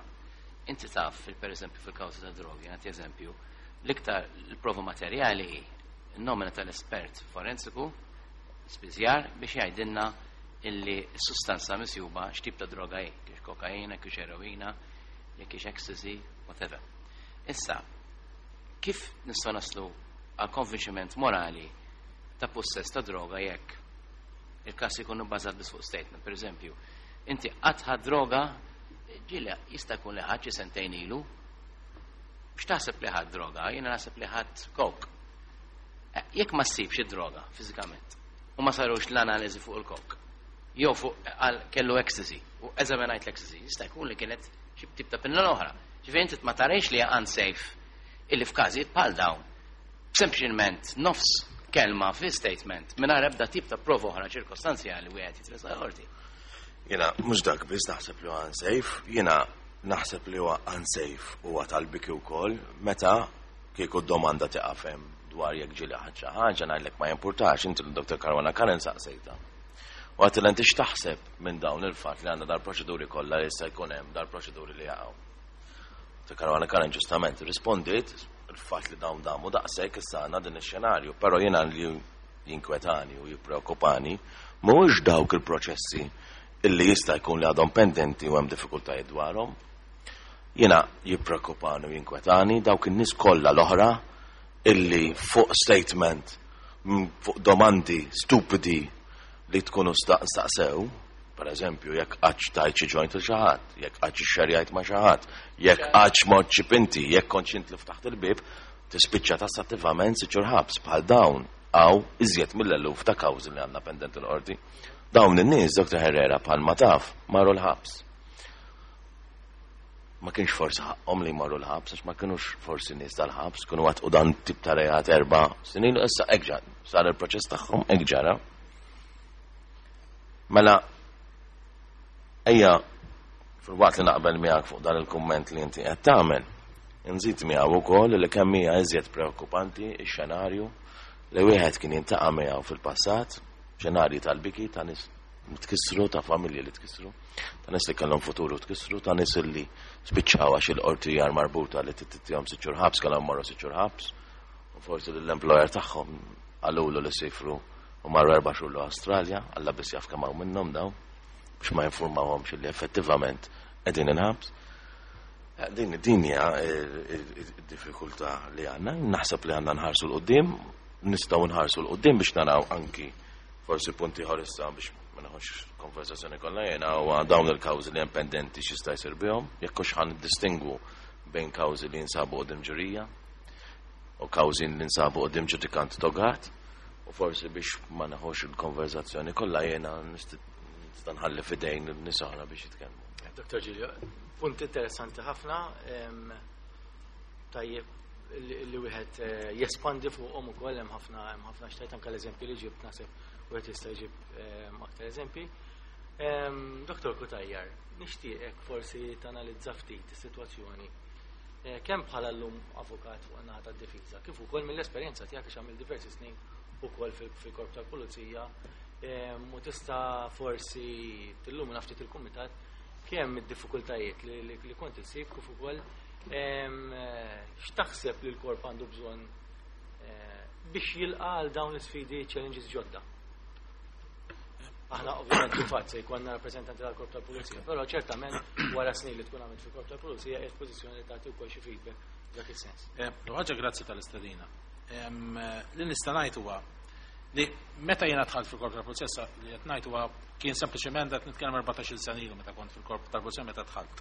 Inti taf, per eżempju fil-kawża ta' drogi, nagħti eżempju, l-iktar l-prova materjali hi n-nomina tal-espert forensiku spiżjar biex jgħidilna illi s-sustanza misjuba x'tip ta' droga hi, kiex kokaina, kiex eroina, jekk kiex ecstasy, whatever. Issa, kif nistgħu naslu għal konvinċiment morali ta' possess ta' droga jekk il-każ ikun bbażat biss fuq statement? Per eżempju, inti qatt ħadt droga, ġieli jista' jkun li ħadd xi sentejn ilu, x'taħseb li ħadt droga? Jiena naħseb li ħadt coke. Jekk ma ssibx id-droga fiżikament u ma sarux l-analiżi fuq il-coke, jew fuq għal kellu ecstasy u eżaminajt l-ecstasy, jista' jkun li kienet xi tip ta' pinna oħra. Ġifieri inti ma tarejx li unsafe illi f'każijiet bħal dawn sempliċement nofs kelma fi statement mingħajr ebda tip ta' prova oħra ċirkostanzjali wieħed jitressaq qorti. Jiena mhux dak biss naħseb li huwa unsafe, jiena naħseb li huwa unsafe huwa tal-biki wkoll meta kieku domanda tiqaf hemm dwar jekk ġieli ħadd xi ħaġa ngħidlek ma jimpurtax inti l-Dr. Caruana Curran saqsejta. U għedt inti x'taħseb minn dawn il-fatt li għandna dal-proċeduri kollha li issa jkun hemm dal-proċeduri li jaqgħu. Dr. Caruana Curran ġustament rispondiet il-fatt li dawn damu daqshekk issa għandna din ix-xenarju, però jiena li jinkwetani u jippreokkupani mhuwiex dawk il-proċessi illi jista' jkun li għadhom pendenti u hemm diffikultajiet dwarhom. Jiena jippreokkupani u jinkwetani dawk in-nies kollha l-oħra illi fuq statement, fuq domandi stupidi li tkunu staqsew, per eżempju, jekk qattx tajt xi joint il xi ħadd, jekk qattx ixxerjajt ma' xi ħadd, jekk qattx mort xi pinti, jekk kontx int li ftaħt il-bib, tispiċċa tassattivament sitt xhur ħabs bħal dawn għaw iżjed mill-eluf ta' kawżi li għandna pendenti l-qorti. Dawn in-nies, Dr. Herrera, bħal ma taf, marru l-ħabs. Ma kienx forsi ħaqhom li marru l-ħabs, għax ma kienux forsi nies tal-ħabs, kienu għat u dan tip ta' reat 4 snin, issa hekk ġara, sar il-proċess tagħhom hekk ġara. Mela, ejja, fil-waqt li naqbel miegħek fuq dan il-kumment li inti qed tagħmel, nżid miegħu wkoll li kemm hija iżjed preokkupanti x-xenarju li wieħed kien jintaqa' miegħu fil-passat, xenarji tal-biki ta' nies tkissru, ta' familji li tkissru, ta' nies li kellhom futuru tkissru, ta' nies li spiċċaw għax il-qorti jar marbuta li tittihom 6 xhur ħabs, kellhom marru 6 xhur ħabs, u forsi l-employer tagħhom qalulu li sifru u marru 4 xhur l-Awstralja, Alla biss jaf kemm hawn minnhom dawn, biex ma jinformawhomx li effettivament qegħdin il-ħabs. Din hija id-diffikultà li għandna, naħseb li għandna nħarsu 'l quddiem, nistgħu nħarsu 'l quddiem biex naraw anki forsi punti ieħor issa biex ma naħux konversazzjoni kollha jiena huwa dawn il-kawżi li hemm pendenti x'jista' jsir bihom, jekk hux ħan distingwu bejn kawżi li jinsabu qudiem ġurija u kawżi li jinsabu qudiem ġudikant togat, u forsi biex ma naħux il-konversazzjoni kollha jiena nista' nħalli f'idejn in-nies oħra biex jitkellmu. Dr. Giglio, punt interessanti ħafna, tajjeb li wieħed jespandi fuqhom ukoll hemm ħafna xtajt anke l-eżempji li ġibt naħseb wieħed jista' jġib aktar eżempji. Dr. Cutajar, nixtieqek forsi tanalizza ftit is-sitwazzjoni kemm bħala llum avukat fuq in-naħa tad-difiża, kif ukoll mill-esperjenza tiegħek għax għamil diversi snin ukoll fil-korp tal-pulizija. U tista' forsi tillumina ftit il-kumitat kemm id-diffikultajiet li kont issib kif ukoll x'taħseb li l-korp għandu bżonn biex jilqa' għal dawn l-isfidi, challenges ġodda. Aħna ovvjament kif se jkollna rappreżentanti tal-Korp tal-Pulizija, però ċertament wara snin li tkun għamilt fil-Korp tal-Pulizija qiegħed pożizzjoni li tagħti wkoll xi feedback f'dak is-sens. Ħaġa, grazzi tal-istedina. Li nista' ngħid huwa li meta jiena dħalt fil-Korp tal-Pulizija, li qed ngħid huwa kien sempliċement qed nitkellem 14-il sena ilu meta kont fil-Korp tal-Pulizija meta dħalt.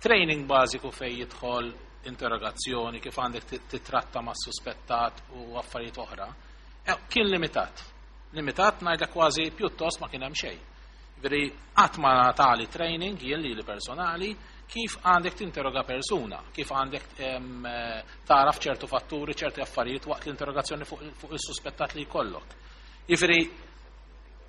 Training bażiku fejn jidħol interrogazzjoni, kif għandek titratta ma' suspettat u affarijiet oħra, kien limitat. Limitat ngħidlek kważi pjuttost ma kien hemm xejn. Veri qatt ma tali training jien li personali kif għandek tinterroga persuna, kif għandek taraf ċertu fatturi, ċerti affarijiet waqt l-interrogazzjoni fuq il-suspettat li jkollok. Jiġifieri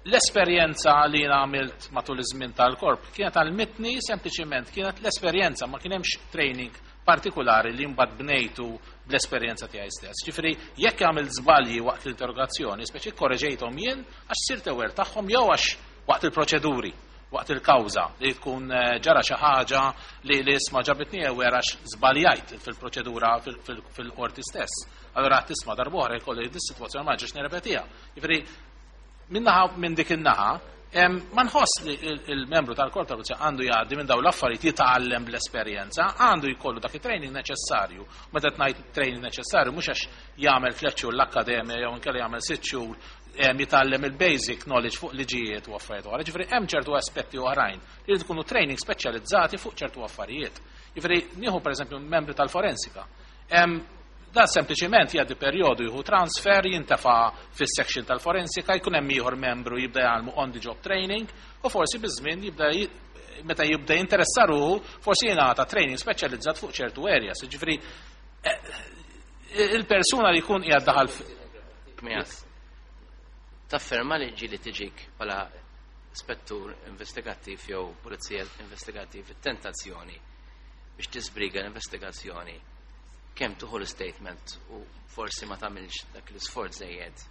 l-esperjenza li jien għamilt matul iż-żmien tal-korp kienet għallmitni sempliċiment, kienet l-esperjenza, ma kien hemmx training partikolari li mbagħad bnejtu bl-esperjenza tiegħi stess. Ġifieri jekk għamilt żbalji waqt l-interrogazzjoni, speċi korreġejthom jien għax sirt aware tagħhom jew għax waqt il-proċeduri, waqt il-kawża li tkun ġara xi ħaġa li isma' ġabitni aware għax żbaljajt fil-proċedura fil-qorti stess. Allora tisma' darb'oħra jkolli dis-sitwazzjoni ma ġiex nirrepetiha. Ġifieri minnaħa minn dik in-naħa ma nħoss li il-membru tal-korp tal-pulizija għandu jgħaddi minn dawn l-affarijiet, jitgħallem bl-esperjenza, għandu jkollu dak it-training neċessarju. Meta ngħid training neċessarju, mhux għax jagħmel 3 xhur l-akkademja jew inkella jagħmel 6 xhur jitgħallem il-basic knowledge fuq liġijiet u affarijiet oħra. Ġifieri hemm ċertu aspetti oħrajn li jkunu training speċjalizzati fuq ċertu affarijiet. Ġifieri nieħu pereżempju membri tal-forensika. Dan sempliċiment jgħaddi perjodu, jieħu transfer, jintefa fis-section tal-forensika, jkun hemm ieħor membru jibda jgħallmu on the job training u forsi biż-żmien jibda meta jibda jinteressa ruħu forsi jingħata training speċjalizzat fuq ċertu areas. Ġifieri il-persuna li jkun qiegħed daħal Tafferma li ġieli tiġik bħala spettur investigattiv jew pulizija investigattiv tentazzjoni biex tisbriga l-investigazzjoni, kemm tieħu l-statement u forsi ma tagħmilx dak l-isforz żejjed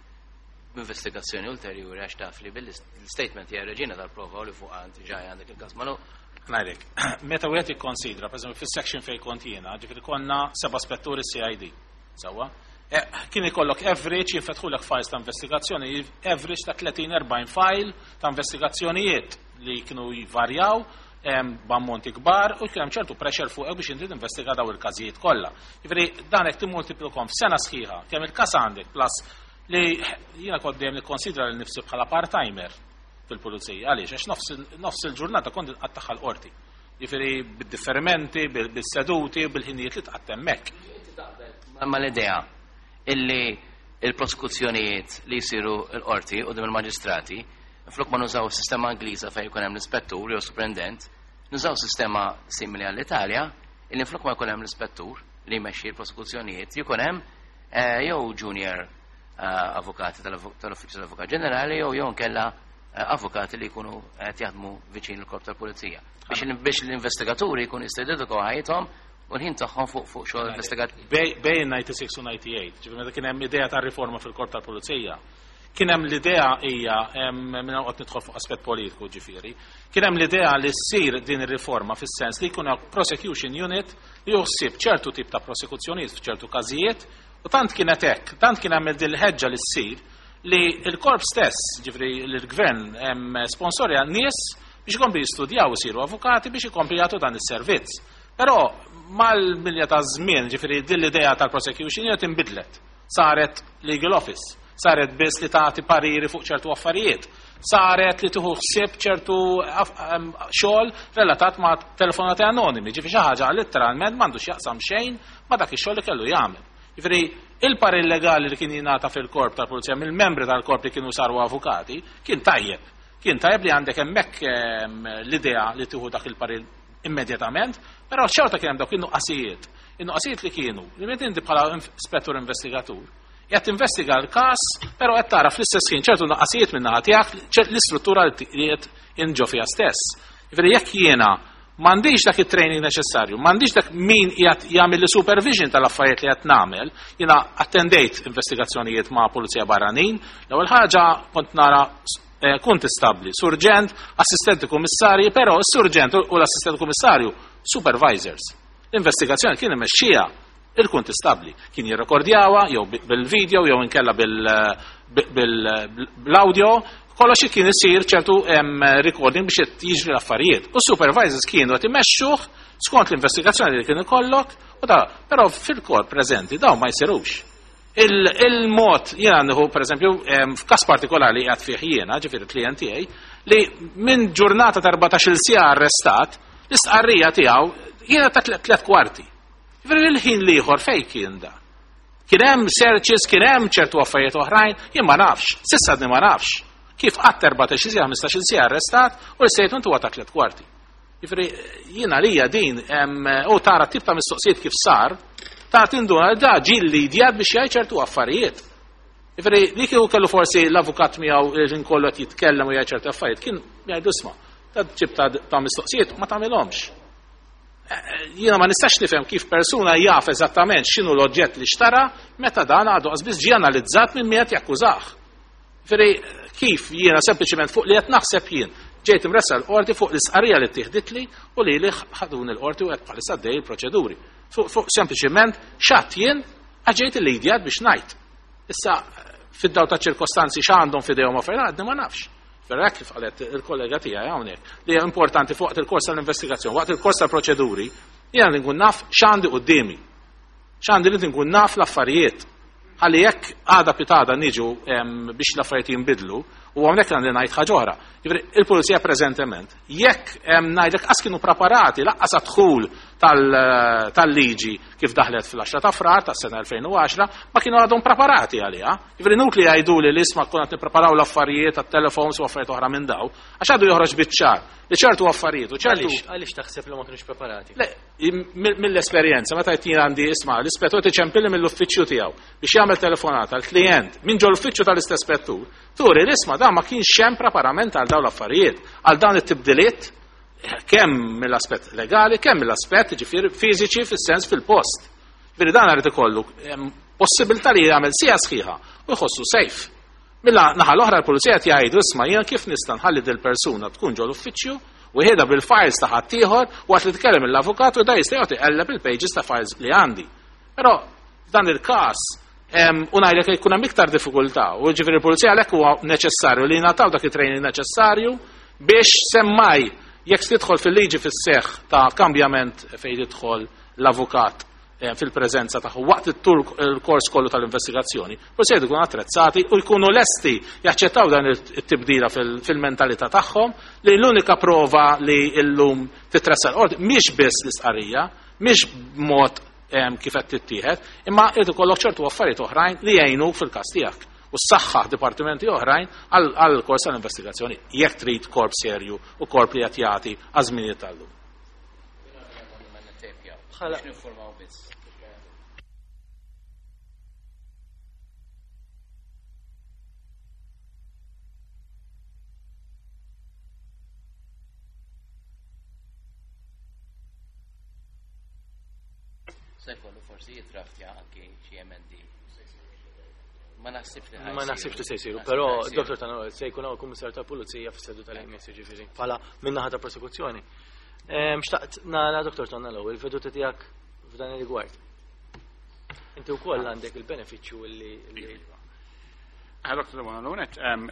b'investigazzjoni ulterjuri għax taf li bil-statement hija reġina tal-prova u li fuq għand ġaj għandek il-każ magħluq? Ngħidlek, meta wieħed ikkonsidra, pereżempju fis-section fejn kont jiena, ġifieri konna seba' spetturi CID, sewwa? Kien ikollok average, jinfetħulek files ta' investigazzjoni, average ta' 30-40 file ta' investigazzjonijiet li kienu jvarjaw b'ammonti kbar u kien hemm ċertu pressure fuq biex inti tinvestiga daw il-każijiet kollha. Jiġifieri dan hekk timmultiplikom f'sena sħiħa kemm il-każ għandek, plus li jiena kont dejjem nikkonsidra lil nifsi bħala part-timer fil-pulizija. Għaliex? Għax nofs il-ġurnata kont inqattagħha l-qorti. Jiġifieri bid-differimenti, bil-seduti, bil-ħinijiet li tqatta' hemmhekk. Ma l-idea illi il-prosekuzzjonijiet li jsiru l-qorti u il-maġistrati, flok ma nużaw sistema Ingliża fejn jkun hemm l-ispettur jew superintendent, nużaw sistema simili għall-Italja illi flok ma jkun hemm l-ispettur li jmexxi l-prosekuzzjonijiet, jkun hemm jew junior avukati tal-Uffiċċju tal-Avukat Ġenerali jew nkella avukati li jkunu qed jaħdmu viċin il-korp tal-Pulizija. Biex l-investigaturi jkunu jistgħu jiddedikaw ħajjithom u l-ħin tagħhom fuq xogħol investigattiv. Bejn 96 u 98, ġifieri meta kien hemm idea ta' riforma fil-korp tal-Pulizija, kien hemm l-idea hija minn qed nidħol fuq aspett politiku ġifieri, kien hemm l-idea li ssir din ir-riforma fis-sens li jkun hemm prosecution unit li juħsib ċertu tip ta' prosekuzzjonijiet f'ċertu każijiet, u tant kienet hekk, tant kien hemm din il-ħeġġa li ssir li l-korp stess, ġifieri l-gvern sponsorja nies biex ikompli jistudjaw, isiru avukati biex ikompli jagħtu dan is-servizz. Però mal-milja ta' żmien, ġifieri din l-idea tal-prosecution unit inbidlet. Saret legal office, saret biss li tagħti pariri fuq ċertu affarijiet, saret li tieħu ħsieb ċertu xogħol relatat ma' telefonati anonimi, ġifieri xi ħaġa letteralment m'għandux jaqsam xejn ma' dak ix-xogħol li kellu jagħmel. Ġifieri il-parir legali li kien jingħata fil-korp tal-pulizija mill-membri tal-korp li kienu saru avukati kien tajjeb. Kien tajjeb li għandek hemmhekk l-idea li tieħu dak il-parir immedjatament, però xorta kien hemm dawk in-nuqqasijiet. In-nuqqasijiet li kienu, li meta inti bħala spettur investigatur, qed tinvestiga l-każ, però qed tara fl-istess ħin ċertu nuqqasijiet minn naħa tiegħek, l-istruttura li qed inġo fiha stess. Jiġifieri jekk jiena M'għandix dak it-training neċessarju, m'għandix dak min qiegħed jagħmel li supervision tal-affarijiet li qed nagħmel. Jiena attendejt investigazzjonijiet ma' pulizija barranin. L-ewwel ħaġa kont nara kuntistabbli, surġent, assistenti kummissarji, però s-surġent u l-assistenti kummissarju supervisors. L-investigazzjoni kien imexxija il-kuntistabbli. Kien jirrekordjawha jew bil-video jew inkella bil-audio, kollox kien isir ċertu recording biex jiġri l-affarijiet. U supervisors kienu qed imexxuh skont l-investigazzjoni li kien ikollok, u da, però fil-korp preżenti dawn ma jsirux. Il-mod jiena nieħu pereżempju f'każ partikolari li qiegħed fih jiena, ġifieri klient tiegħi, li minn ġurnata ta' 14-il siegħa arrestat, l-istqarrija tiegħu jiena ta' 3/4. Ġifieri il-ħin l-ieħor fejn kien da? Kien hemm searches, kien hemm ċertu affarijiet oħrajn, jien ma nafx, s'issa għadni ma nafx. Kif qatt 14-il siegħa, 15-il siegħa arrestat u l-statement huwa ta' 3/4. Ġifieri jiena lija din, u tara tip ta' mistoqsijiet kif sar, ta' tinduna da ġie lidjat biex jgħid ċertu affarijiet. Ġifieri li kieku kellu forsi l-avukat miegħu li nkollu qed jitkellem u jgħid ċertu affarijiet, kien jgħidu isma' ta' ġib ta' mistoqsijiet ma tagħmilhomx. Jiena ma nistax nifhem kif persuna jaf eżattament x'inhu l-oġġett li xtara meta dan għadu qas biss ġie analizzat minn min qed jakkużah. Ġifieri kif jiena sempliċement fuq li qed naħseb jien ġejt imressa l-qorti fuq l-isqarija li ttieħditli u li li ħaduni l-qorti u qed bħalissa għaddej il-proċeduri. Fuq sempliċement x'għadt jien għax ġejt il-lidjat biex ngħid. Issa fid-daw ta' ċirkostanzi x'għandhom f'idejhom affarijiet għadni ma nafx. Però hekk kif qalet il-kollega tiegħi hawnhekk li hija importanti fuq waqt il-kors tal-investigazzjoni, waqt il-kors tal-proċeduri, jiena li nkun naf x'għandi quddiemi. X'għandi li nkun naf l-affarijiet. Ħalli jekk għada pitada niġu biex l-affarijiet jinbidlu, u hawnhekk għandi ngħid ħaġa oħra. Jiġifieri il-pulizija preżentement, jekk ngħidlek qas kienu preparati laqqas għad-dħul tal-liġi kif daħlet fl-10 ta' Frar tas-sena 2010, ma kienu għadhom preparati għaliha. Jiġifieri nut li jgħidu li l-isma konna qed nippreparaw l-affarijiet tat-telefons u affarijiet oħra minn daw, għax għadu joħroġ biċ-ċar li ċertu affarijiet u ċertu Għaliex, għaliex taħseb li ma kienux preparati? Le, mill-esperjenza, meta qed jien għandi isma' l-ispettur tiċempilli mill-uffiċċju tiegħu biex jagħmel telefonata għall-klient minn ġol uffiċċju tal-istess spettur, turi l-isma' dan ma kienx hemm preparament għal dawn l-affarijiet, għal dawn it-tibdiliet kemm mill-aspett legali, kemm mill-aspett ġifieri fiżiċi fis-sens fil-post. Ġifieri dan irid ikollu possibilità li jagħmel sija sħiħa u jħossu safe. Milla naħa l-oħra l-pulizija qed jgħidu isma' jien kif nista' nħalli dil persuna tkun ġol uffiċċju u jħedha bil-files ta' ħaddieħor waqt li tkellem l-avukat u da jista' jagħti qelleb il-pages ta' files li għandi. Però f'dan il-każ u ngħidlek jkun hemm iktar diffikultà u ġifieri l-pulizija għalhekk huwa neċessarju li jingħataw dak it-training neċessarju biex semmaj jekk tidħol fil-liġi fis-seħħ ta' kambjament fejn jidħol l-avukat fil-preżenza tagħhom waqt it-tur il-kors kollu tal-investigazzjoni, forsi jkunu attrezzati u jkunu lesti jaċċettaw dan it-tibdila fil-mentalità tagħhom li l-unika prova li llum titressa l-qorti mhix biss l-istqarrija, mhix b'mod kif qed tittieħed, imma irid ikollok ċertu affarijiet oħrajn li jgħinu fil-każ tiegħek u s-saħħa dipartimenti oħrajn għal kors tal-investigazzjoni jekk trid korp serju u korp li qed jagħti għażminijiet tal-lum. Bħala Biex biss. Se jkollu forsi jidraftja anki xi emendi. Ma naħsibx li Ma naħsibx li se jsiru, però Dr. Tanawel se jkun hawn kummissarju tal-Pulizija fis-seduta li jmiss jiġifieri bħala min-naħa ta' prosekuzzjoni. Xtaqt nara Dr. Tonello, il-veduta tiegħek f'dan ir-rigward. Inti wkoll għandek il-benefiċċju li Dr. Debono,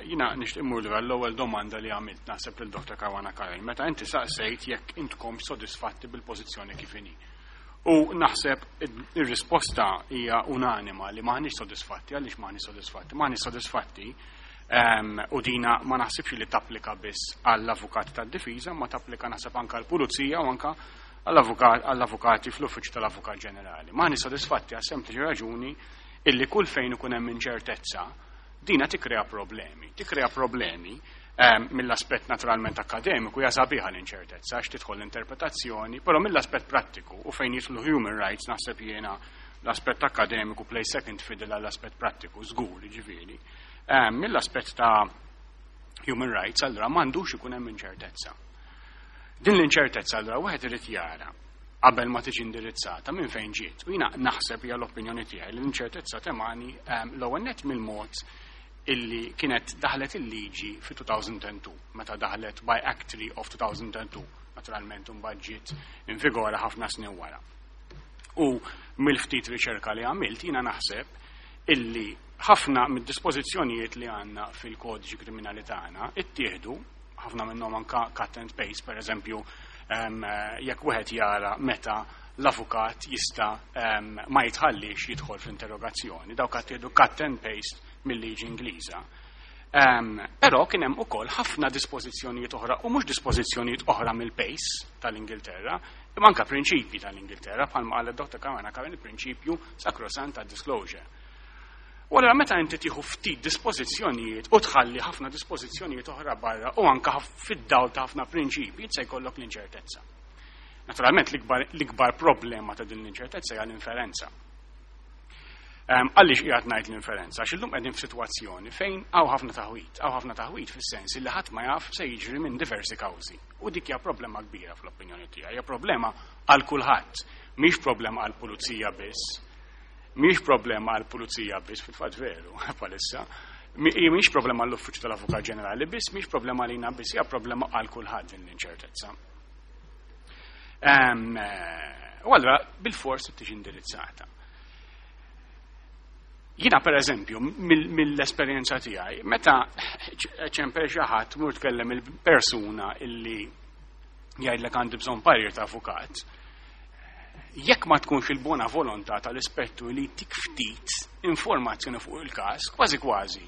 jiena nixtieq immur lura l-ewwel domanda li għamilt naħseb lil Dr. Caruana Curran, meta inti saqsejt jekk intkom sodisfatti bil-pożizzjoni kif inhi. U naħseb ir-risposta hija unanima li maħniex sodisfatti. Għaliex maħniex sodisfatti? Maħniex sodisfatti u dina ma naħsibx li tapplika biss għall-avukati tad-difiża, ma tapplika naħseb anke għall-pulizija u anke għall-avukati fl-uffiċċju tal-Avukat Ġenerali. Maħniex sodisfatti għas sempliċi raġuni illi kull fejn ikun hemm inċertezza dina tikkrea problemi. Tikkrea problemi mill-aspett naturalment akademiku hija sabiħa l-inċertezza għax tidħol l-interpretazzjoni, però mill-aspett prattiku u fejn jidħlu human rights naħseb jiena l-aspett akademiku play second fiddle għall-aspett prattiku, żgur, jiġifieri. Mill-aspett ta' human rights allura m'għandux ikun hemm inċertezza. Din l-inċertezza allura wieħed irid jara qabel ma tiġi indirizzata minn fejn ġiet. U jiena naħseb, hija l-opinjoni tiegħi, li l-inċertezza temani l-ewwel net mill-mod illi kienet daħlet il-liġi fi 2002, meta daħlet by Act 3 of 2002, naturalment imbagħad ġiet in vigora ħafna snin wara. U mill-ftit riċerka li għamilt, jiena naħseb illi ħafna mid-dispożizzjonijiet li għandna fil-kodiċi kriminali tagħna ittieħdu, ħafna minnhom anka cut and paste, per eżempju, jekk wieħed jara meta l-avukat jista' ma jitħallix jidħol fl-interrogazzjoni, dawk ittieħdu cut and paste mill-liġi Ingliża. Però kien hemm ukoll ħafna dispożizzjonijiet oħra, u mhux dispożizzjonijiet oħra mill-pace tal-Ingilterra, imma anka prinċipji tal-Ingilterra, bħalma qalet Dr. Caruana Curran, il-prinċipju sacrosanct ta' disclosure. U allura meta inti tieħu ftit dispożizzjonijiet u tħalli ħafna dispożizzjonijiet oħra barra u anka fid-dawl ta' ħafna prinċipji, se jkollok l-inċertezza. Naturalment l-ikbar problema ta' din l-inċertezza hija l-inferenza. Għaliex qiegħed ngħid l-inferenza? Għax illum qegħdin f'sitwazzjoni fejn hawn ħafna taħwit, hawn ħafna taħwit fis-sens li ħadd ma jaf se jiġri minn diversi kawżi. U dik hija problema kbira fl-opinjoni tiegħi, hija problema għal kulħadd, mhix problema għall pulizija biss. Mhix problema għall pulizija biss, fil-fatt veru, bħalissa. Mhix problema għall-Uffiċċju tal-Avukat Ġenerali biss, mhix problema għalina biss, hija problema għal kulħadd din l-inċertezza. U allura bil-fors tiġi indirizzata. Jiena, per eżempju, mill-esperjenza tiegħi, meta ċempel xi ħadd, mur tkellem il-persuna illi jgħidlek għandi bżonn parir ta' avukat, jekk ma tkunx il-bona volontà tal-ispettur li tik ftit informazzjoni fuq il-każ, kważi kważi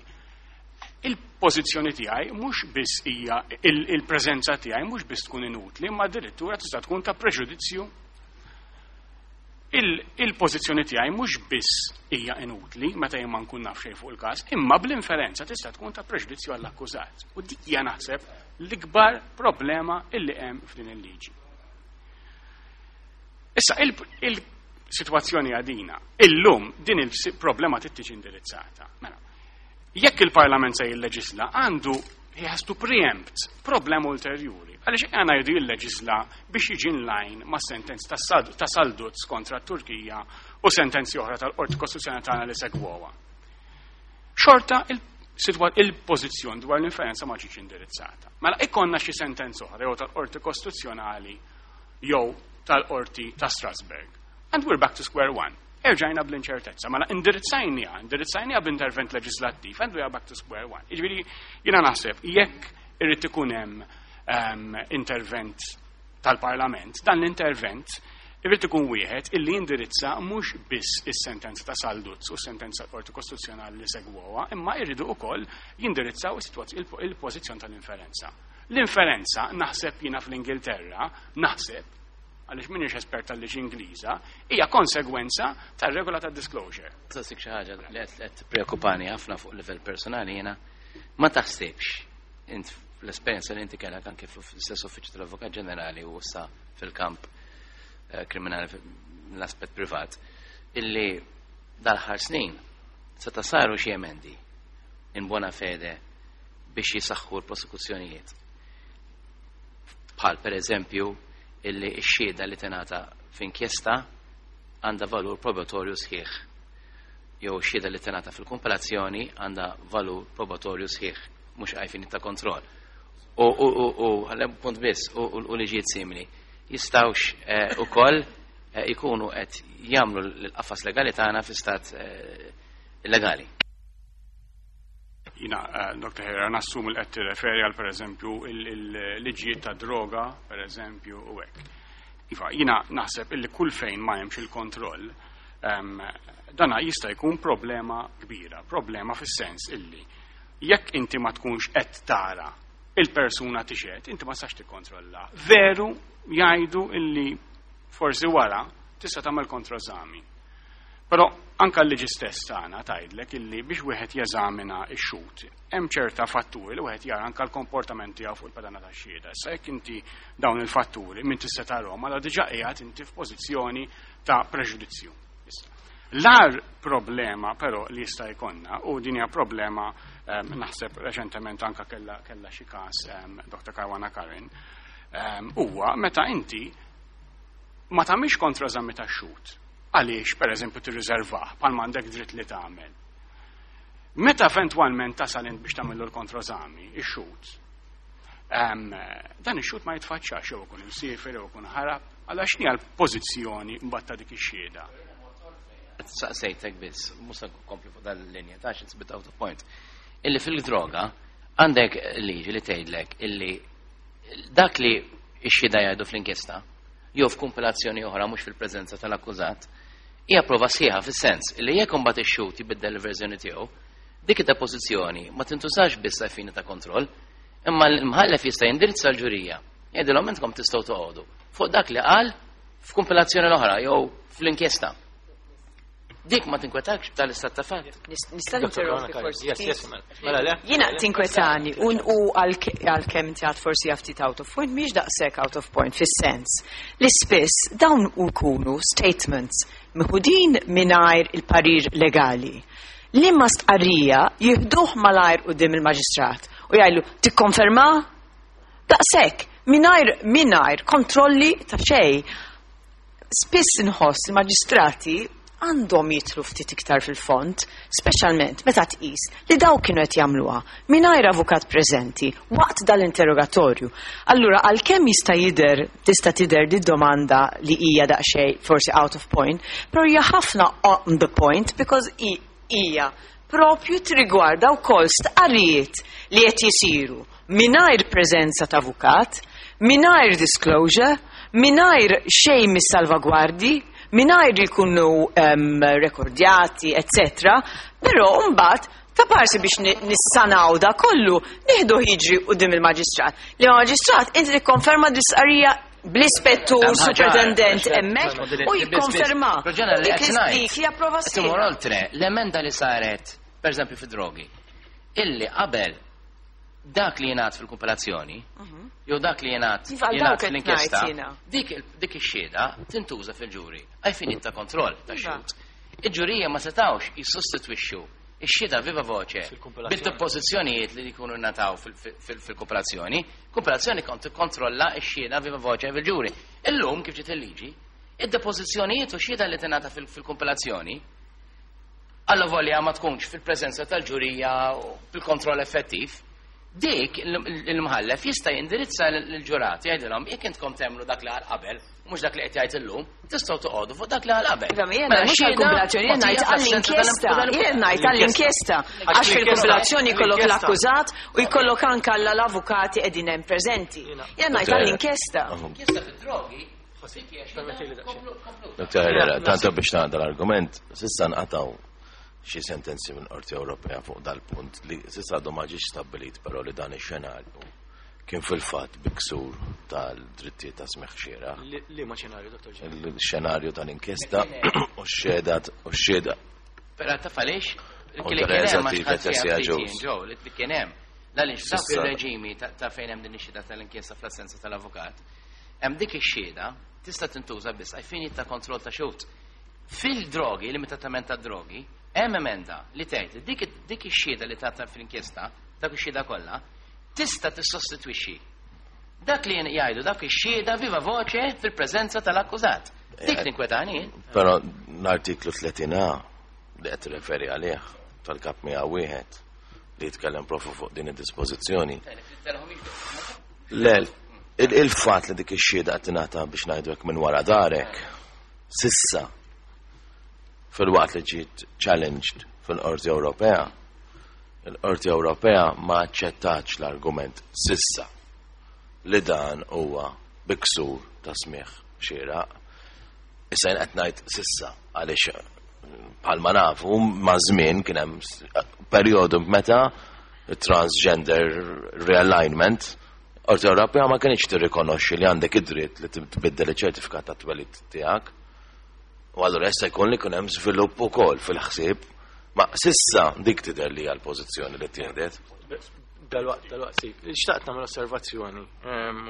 il-pożizzjoni tiegħi mhux biss hija, il-preżenza tiegħi mhux biss tkun inutli, imma addirittura tista' tkun ta' preġudizzju. Il-pożizzjoni tiegħi mhux biss hija inutli meta jien ma nkun naf xejn fuq il-każ, imma bl-inferenza tista' tkun ta' preġudizzju għall-akkużat. U dik hija, naħseb, l-ikbar problema illi hemm f'din il-liġi. Issa il-sitwazzjoni għadina, illum din il-problema trid tiġi indirizzata. Mela, jekk il-Parlament se jilleġisla, għandu, he has to preempt problema ulterjuri. Għaliex għana jridu jilleġisla biex jiġi in line ma' sentenzi ta' Salduz kontra Turkija u sentenzi oħra tal-Qorti Kostituzzjonali tagħna li segwowa. Xorta il-pożizzjoni dwar l-inferenza ma ġietx indirizzata. Mela ikonna xi sentenza oħra jew tal-Qorti Kostituzzjonali jew tal-Qorti ta' Strasbourg. And we're back to square one. Erġajna bl-inċertezza. Mela indirizzajnija b'intervent leġislattiv and we are back to square one. Jiġifieri jiena naħseb jekk irrid ikun hemm intervent tal-Parlament, dan l-intervent irrid ikun wieħed illi jindirizza mhux biss is-sentenza ta' Salduz u s-sentenza tal-Qorti Kostituzzjonali li segwoha, imma jridu wkoll jindirizzaw il-pożizzjoni tal-inferenza. L-inferenza, naħseb jiena, fl-Ingilterra, naħseb, għaliex m'iniex espert tal-liġi Ingliża, hija konsegwenza tar-regola ta' disclosure. Tasik xi ħaġa li qed preokkupani ħafna fuq livell personali jiena: ma taħsibx int, l-esperjenza li inti kellek anke fl-istess uffiċċju tal-Avukat Ġenerali u issa fil-kamp kriminali l-aspett privat, illi dal-aħħar snin seta' saru xi emendi in buona fede biex jisaħħu l-prosekuzzjonijiet? Bħal per eżempju illi x-xhieda li tingħata f'inkjesta għandha valur probatorju sħiħ. Jew xhieda li tingħata fil-kumpilazzjoni għandha valur probatorju sħiħ, mhux għal fini ta' kontroll. U għallem punt biss, u liġijiet simili jistgħux ukoll ikunu qed jagħmlu l-qafas legali tagħna fi stat illegali? Jiena, Dr. Herrera, nassum il qed tirreferi għal, per eżempju, il-liġijiet ta' droga, per eżempju, u hekk. Iva, jiena naħseb illi kull fejn ma hemmx il-kontroll, dana jista' jkun problema kbira, problema fis-sens illi jekk inti ma tkunx qed tara il-persuna tixhed, inti ma tistax tikkontrolla. Veru jgħidu illi forsi wara tista' tagħmel kontroeżami. Però anka l-liġi stess tagħna tgħidlek illi biex wieħed jeżamina x-xhud hemm ċerta fatturi li wieħed jara, anka l-komportament tiegħu fuq il-pedana tax-xhieda. Issa jekk inti dawn il-fatturi min tista' tarahom, allura diġà qiegħed inti f'pożizzjoni ta' preġudizzju. L-agħar problema però li jista' jkollna, u din hija problema naħseb reċentement anka kella xi każ Dr. Caruana Curran, huwa meta inti ma tagħmilx kontroeżami tax-xhud. Għaliex, pereżempju, tirriservah bħal m'għandek dritt li tagħmel. Meta eventwalment tasal int biex tagħmillu l-kontroeżami, ix-xhud, dan ix-xhud ma jitfaċċax jew ikun imsiefer jew ikun ħarab, għal x'inhi l-pożizzjoni mbagħad ta' dik ix-xhieda. Saqsejtek biss, mhux se nkompli fuq dan il-linja, ta' it's a bit out of point. Illi fil-droga għandek liġi li tgħidlek illi dak li x-xhieda jgħidu fl-inkjesta jew f'kumpilazzjoni oħra mhux fil-preżenza tal-akkużat, hija prova sħiħa fis-sens illi jekk imbagħad ix-xhud jibiddel il-verżjoni tiegħu, dik id-depożizzjoni ma tintużax biss għal fini ta' kontroll, imma l-imħallef jista' jindirizza l-ġurija. Jgħidilhom intkom tistgħu toqgħodu fuq dak li qal f'kumpilazzjoni l-oħra jew fl-inkjesta. Dik ma tinkwetakx tal-istat ta' fatt. Nista' ninterrompi forsi. Yes, mela. Mela le? Jiena tinkwetani u għalkemm inti għad forsi ftit out of point, mhix daqshekk out of point fis-sens li spiss dawn ikunu statements meħudin mingħajr il-parir legali. Li ma stqarrija jieħduh malajr quddiem il-maġistrat u jgħidlu tikkonferma daqshekk mingħajr kontrolli ta' xejn. Spiss inħoss il-maġistrati għandhom jidħlu ftit iktar fil-fond, speċjalment meta tqis li daw kienu qed jagħmluha mingħajr avukat preżenti waqt dal-interrogatorju. Allura għalkemm jista' jidher tista' tidher di domanda li hija daqsxejn forsi out of point, però hija ħafna on the point because hija propju trigwarda wkoll stqarrijiet li qed jisiru mingħajr preżenza ta' avukat, mingħajr disclosure, mingħajr xejn mis-salvagwardi, mingħajr jkunu rekordjati, etc. Però mbagħad ta' parsi biex nissanaw da kollu, nieħdu jiġri quddiem il-maġistrat. Li maġistrat inti tikkonferma l-istqarrija bl-ispettur Hemm ħaġa, superintendent hemmhekk biss, u jikkonferma. Però li Dik qed ngħid. dik hija prova Qed imur sħiħa. oltre, l-emenda li saret, per eżempju, fi drogi, illi qabel dak li jingħad fil-kumpilazzjoni, jew dak li jingħad Iva, għal jingħad dawk qed fl-inkjesta, ngħid jiena. dik ix-xhieda tintuża fil-ġuri għal finit ta' kontroll ta' Iva. xhud. Il-ġurija ma setawx jissostitwixxu ix-xhieda viva voce Fil-kumpilazzjoni. bil-depożizzjonijiet li jkunu nataw fil-kumpilazzjoni, kumpilazzjoni kont tikkontrolla x-xhieda viva voce fil-ġuri. Illum kif ġiet il-liġi, id-depożizzjonijiet u xhieda li tingħata fil-kumpilazzjoni alla volja ma tkunx fil-preżenza tal-ġurija u bil-kontroll effettiv, dik il-mħallef jista' jindirizza l-ġurati jgħidilhom jekk intkom temmnu dak li għal qabel, mhux dak li qed jgħid illum, tistgħu toqgħodu fuq dak li għal qabel. Iva, ma jiena Mela, mhux xhieda għall-kumpilazzjoni, jien ngħid mogħtija fl-assenza għall-inkjesta, jien ngħid għall-inkjesta. Għax fil-kumpilazzjoni jkollok l-akkużat u jkollok anke l-avukati qegħdin hemm preżenti. Jien ngħid għall-inkjesta. Inkjesta fid-drogi, Permetti li daqsxejn. Dr. Herrera, tanto biex nagħda l-argument, s'issa nqataw xi sentenzi minn Qorti Ewropea fuq dal-punt li s'issa għadu ma ġiex stabbilit però li dan ix-xenarju kien fil-fatt bi ksur tal-drittijiet ta' smigħ xieraq. Li ma xenarju, Dr. Ġen? Il-xenarju tal-inkjesta u x-xhieda u x-xhieda. Però taf għaliex? U Li kien Teresa hemm għax Tiva ħadd fiha Tessia ftit Jones. jien, ġew, li kien hemm. Għaliex dak S'issa- ir-reġimi ta' fejn hemm din ix-xhieda tal-inkjesta fl-assenza tal-avukat, hemm dik ix-xhieda tista' tintuża biss għal fini ta' kontroll ta' xhud. Fil-drogi, limitatament ta' drogi, hemm emenda li tgħid li dik ix-xhieda li tagħta fl-inkjesta, dak ix-xhieda kollha, tista' tissostitwixxi dak li jgħidu dak ix-xhieda viva voce fil-preżenza tal-akkużat. Dik tinkwetani. Però l-artiklu 30A li qed referi għalih tal-kap 101 li jitkellem proprju fuq din id-dispożizzjoni. Le, il-fatt li dik ix-xhieda qed tingħata biex ngħidu hekk minn wara darek, s'issa fil-waqt li ġiet challenged fil-Qorti Ewropea, il-Qorti Ewropea ma aċċettax l-argument s'issa li dan huwa bi ksur ta' smigħ xieraq. Issa jien qed ngħid s'issa għaliex bħalma nafu ma' żmien kien hemm perjodu meta transgender realignment Qorti Ewropea ma kienx tirrikonoxxi li għandek id-dritt li tbiddel iċ-ċertifikat ta' twelid tiegħek. U allura issa jkun li jkun hemm żvilupp ukoll fil-ħsieb. Ma s'issa dik tidher li hija l-pożizzjoni li tieħdet. Dal-waqt, dal-waqt, si. Xtaqt nagħmel osservazzjoni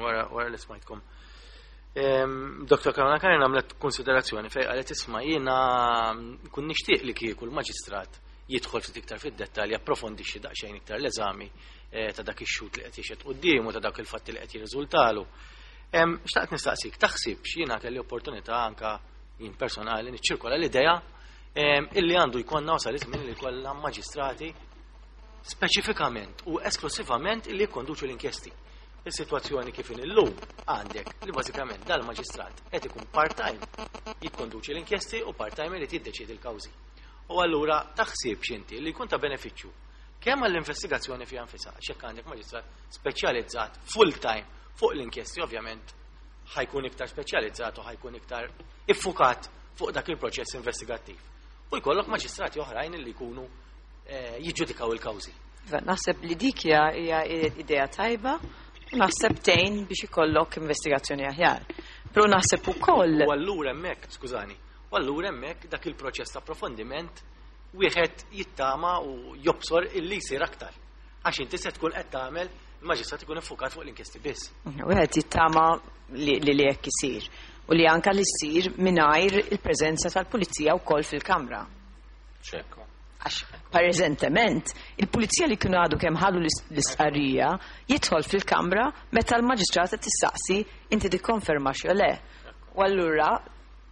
wara li smajtkom. Dr. Caruana Curran għamlet konsiderazzjoni fej qalet isma' jiena kun nixtieq li kieku l-maġistrat jidħol ftit iktar fid-dettalji, approfondixxi daqsxejn iktar l-eżami ta' dak ix-xhud li qed jixhed quddiemu ta' dak il-fatti li qed jirriżultalu. Xtaqt nistaqsik, taħsibx, jiena kelli opportunità anka jien personali niċċirkola l-idea illi għandu jkollna, wasal iż-żmien li jkollna maġistrati speċifikament u esklusivament illi jikkonduċu l-inkjesti. Is-sitwazzjoni kif inhi llum għandek li bażikament dal-maġistrat qed ikun part-time jikkonduċi l-inkjesti u part-time irid jiddeċiedi l-kawżi. U allura taħsibx inti li jkun ta' benefiċċju kemm għall-investigazzjoni fiha nfisha, għax jekk għandek maġistrat speċjalizzat full-time fuq l-inkjesti, ovvjament ħa jkun iktar speċjalizzat u ħa jkun iktar iffukat fuq dak il-proċess investigattiv. U jkollok maġistrati oħrajn li jkunu jiġġudikaw il-kawżi. Iva, naħseb li dik hija idea tajba u naħseb tgħin biex ikollok investigazzjoni aħjar. Però naħseb ukoll U allura hemmhekk, skużani, u allura hemmhekk dak il-proċess ta' approfondiment wieħed jittama u jobsor illi jsir aktar. Għax inti se tkun qed tagħmel, il-maġistrat ikun iffukat fuq l-inkjesti biss. Wieħed jittama li hekk isir u li anka li ssir mingħajr il-preżenza tal-pulizija wkoll fil-kamra. Ċekko. Għax preżentement il-pulizija li kienu għadu kemm ħallu l-istqarrija jidħol fil-kamra meta l-maġistrat qed tistaqsi inti tikkonferma xi le. U allura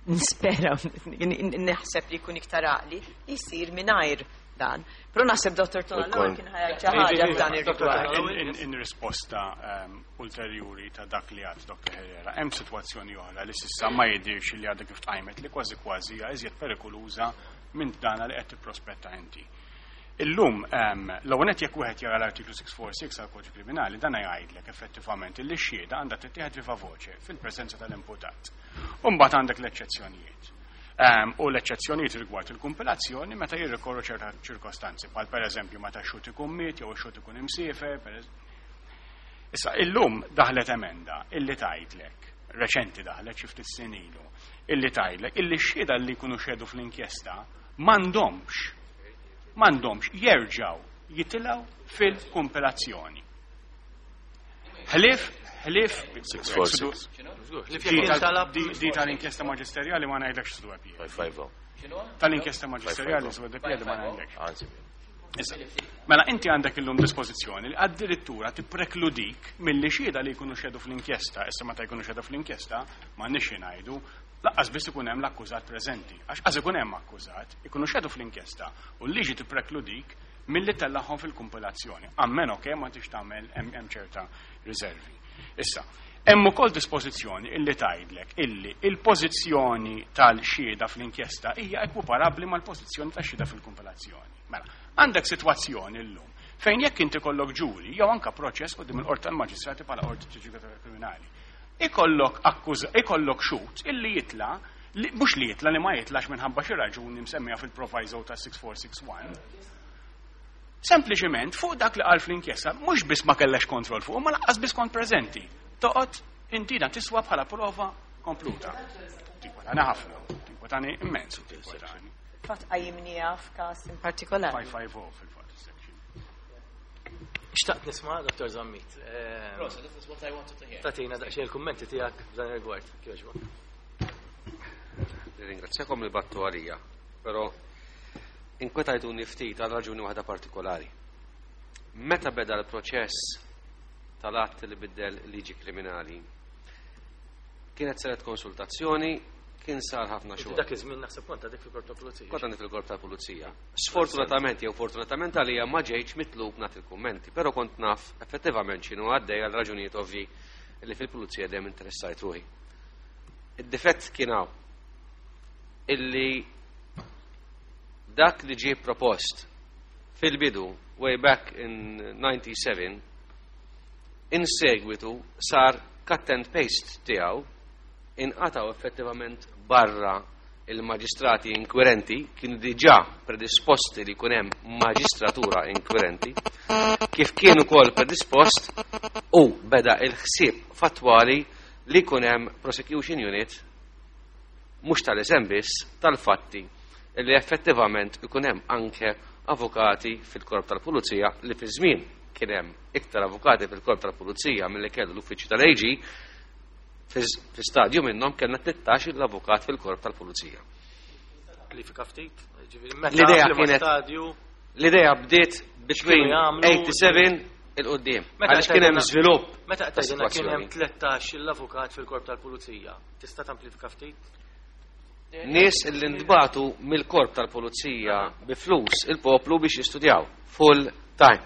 nispera, naħseb li jkun iktar għaqli li jsir mingħajr dan. Però naħseb Dottor Tonallo kien ħa jgħid xi ħaġa f'dan ir-rigward. In risposta ulterjuri ta' dak li għad Dr. Herrera, hemm sitwazzjoni oħra li s'issa ma jidirx li għadha kif tqajmet li kważi kważi hija iżjed perikoluża minn dana li qed tipprospetta inti. Illum, l-ewwel nett jekk wieħed jara l-artiklu 646 għall-Kodiċi Kriminali, dan jgħidlek effettivament li x-xhieda għandha tittieħed viva voce fil-preżenza tal-imputat. U mbagħad għandek l-eċċezzjonijiet. U l-eċċezzjonijiet rigward il-kumpilazzjoni meta jirrikorru ċerta ċirkostanzi, bħal pereżempju meta x-xhud ikun miet jew ix-xhud ikun imsiefer. Issa, illum daħlet emenda illi tgħidlek, reċenti daħlet xi ftit snin ilu, illi tgħidlek illi x-xhieda li jkunu xhedu fl-inkjesta m'għandhomx jerġgħu jitilgħu fil-kumpilazzjoni. Ħlief, ħlief, 646. Di tal-inkjesta maġisterjali ma ngħidlekx x'du għapija. 550. Tal-inkjesta maġisterjali x'du għapija ma ngħidlekx. Anzi. Issa, mela inti għandek illum dispożizzjoni li addirittura tipprekludi milli xhieda li jkunu xhedu fl-inkjesta, issa meta jkunu xhedu fl-inkjesta, ma nix ngħidu, lanqas biss ikun hemm l-akkużat preżenti. Għax qas ikun hemm akkużat, ikunu xhedu fl-inkjesta u l-liġi tipprekludik milli tellagħhom fil-kumpilazzjoni. Ammeno che ma tix tagħmel hemm ċerta riservi. Issa, hemm ukoll dispożizzjoni illi tgħidlek illi il-pożizzjoni tal-xhieda fl-inkjesta hija ekwiparabbli mal-pożizzjoni tax-xhieda fil-kumpilazzjoni. Mela, għandek sitwazzjoni llum fejn jekk inti kollok ġuri jew anka proċess quddiem il-qorti tal-maġistrati bħala qorti ġudikatura kriminali. Ikollok akkuża, ikollok xhud illi jitla, li, mhux li jitla li ma jitlax minħabba xi raġuni msemmija fil-proviso ta' 6461. Sempliċement fuq dak li qal fl-inkjesta mhux biss ma kellekx kontroll fuq, ma lanqas biss kont preżenti. Toqgħod inti dan tiswa bħala prova kompluta. Tinkwetani ħafna, tinkwetani immens, tinkwetani. Fatt qajjimniha f'każ in partikolari. 550 fil-fatt section. Xtaqt nisma', Dr. Zammit. Rosa, this is what I wanted to hear. Tagħtina daqsxejn il-kummenti tiegħek f'dan ir-rigward. Kieġba. Ringrazzjakom li battu għalija, però inkwetajtuni ftit għal raġuni waħda partikolari. Meta beda l-proċess tal-att li biddel liġi kriminali, kienet saret konsultazzjoni, kien sar ħafna Inti xogħol. Dak iż-żmien naħseb kont għadek fil-korp tal-pulizija. Kont għandi fil-korp tal-pulizija. Sfortunatament jew fortunatament għalija ma ġejtx mitlub nagħti il-kummenti, però kont naf effettivament x'inhu għaddej għal raġunijiet ovvji li fil-pulizija dejjem interessajt ruħi. Id-difett kien hawn illi dak li ġie propost fil-bidu way back in 97 in segwitu sar cut and paste tiegħu, inqataw effettivament barra il-maġistrati inkwirenti, kienu diġà predisposti li jkun hemm maġistratura inkwirenti, kif kien ukoll predispost u beda il-ħsieb fattwali li jkun hemm prosecution unit mhux tal-isem biss tal-fatti li effettivament ikun hemm anke avukati fil-korp tal-pulizija, li fi żmien kien hemm iktar avukati fil-korp tal-pulizija milli kellu l-uffiċċju tal-AG, fi stadju minnhom kellna 13 l-avukat fil-korp tal-pulizija. Klifika ftit, ġifieri meta L-idea fl-ma kienet stadju L-idea bdiet between X'kienu jagħmlu? 87 'il quddiem. Għaliex kien hemm żvilupp. Meta qed tgħidilna kien hemm 13 l-avukat fil-korp tal-pulizija, tista' tamplifika ftit? Nies li ntbagħtu mill-korp tal-pulizija bi flus il-poplu biex jistudjaw full time.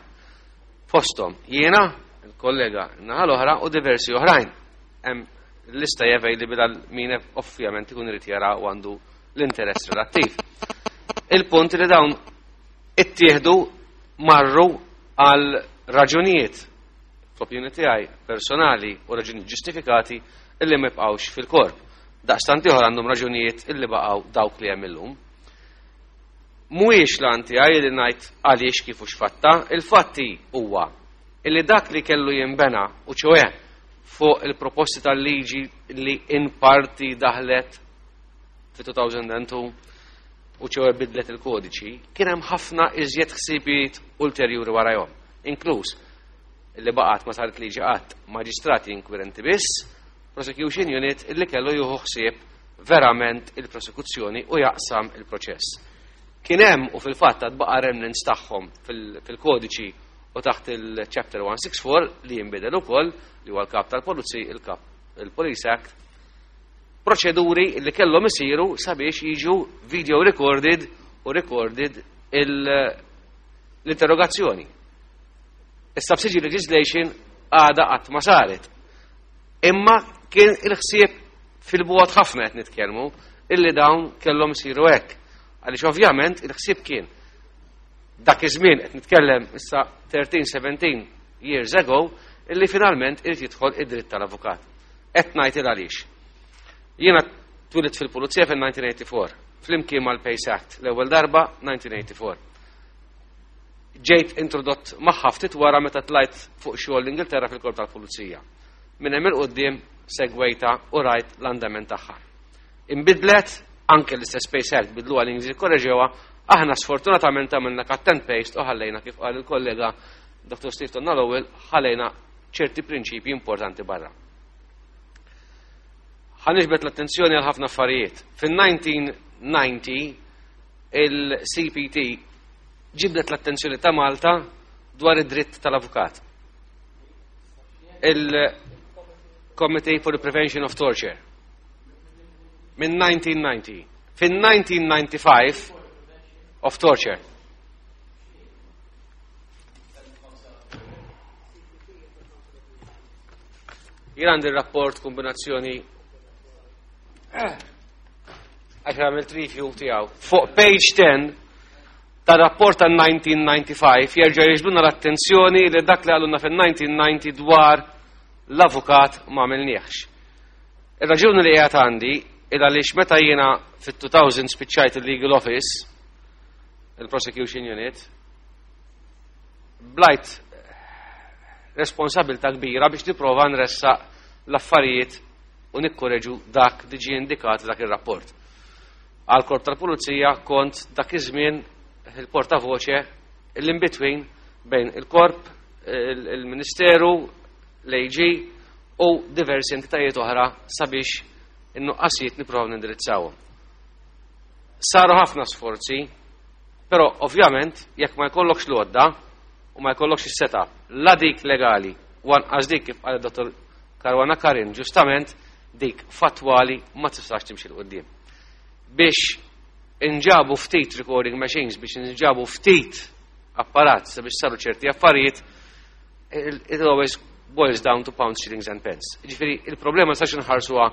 Fosthom jiena, il-kollega naħa l-oħra u diversi oħrajn. Hemm lista hija available għal min ovvjament ikun irid jara u għandu l-interess relattiv. Il-punt li dawn ittieħdu marru għal raġunijiet fl-opinjoni tiegħi personali u raġunijiet ġustifikati illi ma jibqgħux fil-korp. Daqstant ieħor għandhom raġunijiet illi baqgħu dawk li hemm illum. Mhuwiex l tiegħi li ngħid għaliex kif u x'fatta, il-fatti huwa illi dak li kellu jinbena u ċoè fuq il-proposti tal-liġi li in parti daħlet fi 2002 u ċoè bidlet il-kodiċi, kien hemm ħafna iżjed ħsibijiet ulterjuri warajhom, inkluż li baqgħet ma saret liġi qatt maġistrati inkwirenti biss, prosecution unit illi kellu jieħu ħsieb verament il-prosekuzzjoni u jaqsam il-proċess. Kien hemm u fil-fatt għad baqa' remnants tagħhom fil-kodiċi u taħt il-chapter 164 li jinbidel ukoll li huwa l-kap tal-pulizija, il-kap il-Police Act, proċeduri li kellhom isiru sabiex jiġu video recorded u recorded l-interrogazzjoni. Is-subsidiary legislation għada qatt ma saret. Imma kien il-ħsieb fil-bogħod ħafna qed nitkellmu illi dawn kellhom isiru hekk. Għaliex ovvjament il-ħsieb kien dak iż-żmien qed nitkellem issa 13-17 years ago illi finalment irid jidħol id-dritt tal-avukat. Qed ngħid il għaliex. Jiena twilidt fil-pulizija fil-1984, flimkien mal-Pace Act, l-ewwel darba 1984. Ġejt introdott magħha ftit wara meta tlajt fuq xogħol l-Ingilterra fil-korp tal-pulizija. Minn hemm 'il quddiem segwejta u rajt l-andament tagħha. Imbidlet anke l-istess Pace Act bidlu għal korreġewa, aħna sfortunatament għamilna cut and paste u ħallejna kif qal il-kollega Dr. Steve Tonna l-ewwel ħallejna ċerti prinċipji importanti barra. Ħa niġbed l-attenzjoni għal ħafna affarijiet. Fin-1990 il-CPT ġibdet l-attenzjoni ta' Malta dwar id-dritt tal-avukat. Il-Committee for the Prevention of Torture. Minn 1990. Fin-1995 of Torture. Jien għandi rapport kombinazzjoni għax għamilt review tiegħu. Fuq page 10 tar-rapport ta' 1995 jerġa' jiġbdulna l-attenzjoni li dak li qalulna fil-1990 dwar l-avukat ma għamilniex. Ir-raġuni li qiegħed għandi il għaliex meta jiena fit-2000 spiċċajt il-Legal Office, il-Prosecution Unit, blajt responsabilta kbira biex nipprova nressaq l-affarijiet u nikkoreġu dak li ġie indikat dak ir-rapport. Għal korp tal-pulizija kont dak iż-żmien il-portavoce l-in-between bejn il-korp, il-Ministeru, l-AG u diversi entitajiet oħra sabiex in-nuqqasijiet nipprovaw nindirizzawhom. Saru ħafna sforzi, però ovvjament jekk ma jkollokx l-għodda u ma jkollokx is-setup la dik legali u anqas dik kif qal dottor Caruana Karin ġustament dik fatwali ma tistax timxi 'l quddiem. Biex inġabu ftit recording machines, biex inġabu ftit apparat sabiex saru ċerti affarijiet, it always boils down to pounds, shillings and pence. Ġifieri, il-problema sax nħarsuha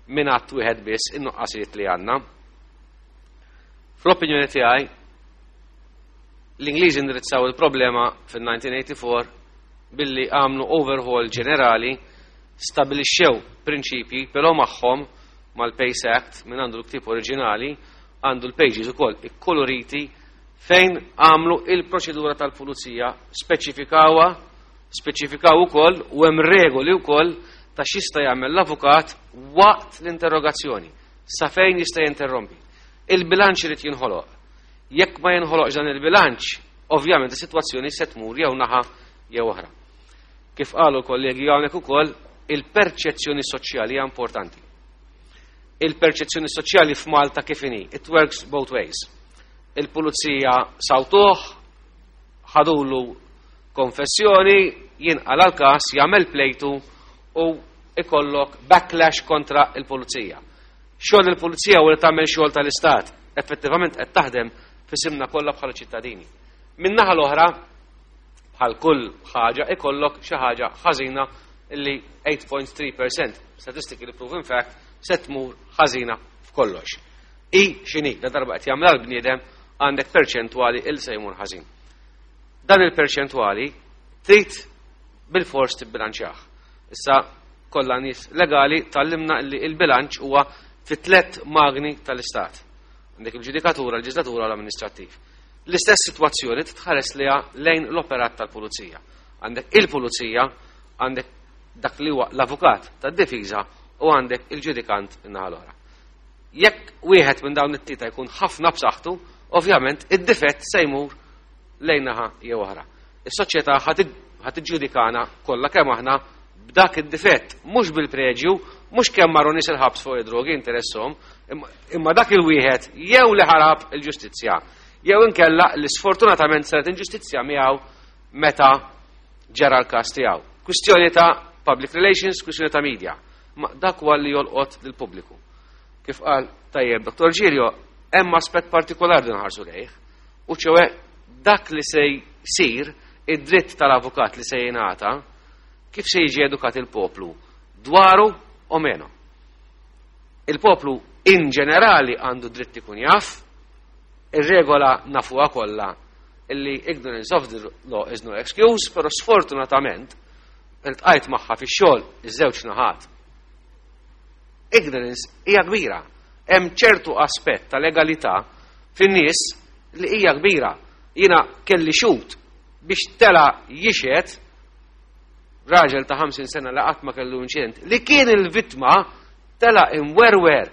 minn att wieħed biss in-nuqqasijiet li għandna. Fl-opinjoni tiegħi, l-Ingliżi indirizzaw il-problema fil-1984 billi għamlu overhaul ġenerali, stabilixxew prinċipji, però magħhom mal-Pace Act minn għandu l-ktib oriġinali għandu l-pages ukoll ikkoloriti fejn għamlu il-proċedura tal-pulizija, speċifikawa, speċifikaw ukoll u hemm regoli wkoll ta' x'jista' jagħmel l-avukat waqt l-interrogazzjoni, sa fejn jista' jinterrompi. Il-bilanċ irid jinħoloq. Jekk ma jinħoloqx dan il-bilanċ, ovvjament is-sitwazzjoni se tmur jew naħa jew oħra. Kif qalu l-kollegi hawnhekk ukoll, il-perċezzjoni soċjali hija importanti. Il-perċezzjoni soċjali f'Malta kif inhi, it works both ways. Il-pulizija sawtuh, ħadulu Konfessjoni, jinqala l-każ, jagħmel plejtu u ikollok backlash kontra il-pulizija. Xogħol il-pulizija u li tagħmel xogħol tal-istat, effettivament qed taħdem f'isimna kollha bħala ċittadini. Min-naħa l-oħra, bħal kull ħaġa ikollok xi ħaġa ħażina li 8.3% statistically proven fact se tmur ħażina f'kollox. I x'inhi, la darba qed jagħmel l-bniedem għandek perċentwali il se jmur ħażin. Dan il-perċentwali trid bil-fors tibbilanċjah. Issa kollha nies legali tgħallimna li il-bilanċ huwa fi tlet magni tal-istat. Għandek il-ġudikatura, il-leġislatura u l-amministrattiv. L-istess sitwazzjoni titħares liha lejn l-operat tal-pulizija. Għandek il-pulizija, għandek dak li huwa l-avukat tad-difiża u għandek il-ġudikant in-naħa l-oħra. Jekk wieħed minn dawn it-tlieta jkun ħafna b'saħħtu, ovvjament id-difett se jmur lejn naħa jew oħra. Is-soċjetà ħa tiġġudikana kollha kemm aħna b'dak id-difett, mhux bil-preġju, mhux kemm marru nies il-ħabs fuq id-drogi interesshom, imma dak il-wieħed jew li ħarab il-ġustizzja, jew inkella li sfortunatament saret inġustizzja miegħu meta ġara l-każ tiegħu. Kwistjoni ta' public relations, kwistjoni ta' media. Ma dak huwa li jolqot lill-pubbliku. Kif qal tajjeb Dr. Giglio, hemm aspett partikolari li nħarsu lejh, u ċewè dak li se jsir id-dritt tal-avukat li se jingħata, kif se jiġi edukat il-poplu dwaru o meno. Il-poplu in ġenerali għandu dritt ikun jaf, ir-regola nafuha kollha illi ignorance of the law is no excuse, pero sfortunatament iltqajt magħha fix-xogħol iż-żewġ naħat. Ignorance hija kbira. Hemm ċertu aspett ta' legalità fin-nies li hija kbira. Jiena kelli xhud biex tela jixhed raġel ta' 50 sena li qatt ma kellu inċident li kien il-vittma tela imwerwer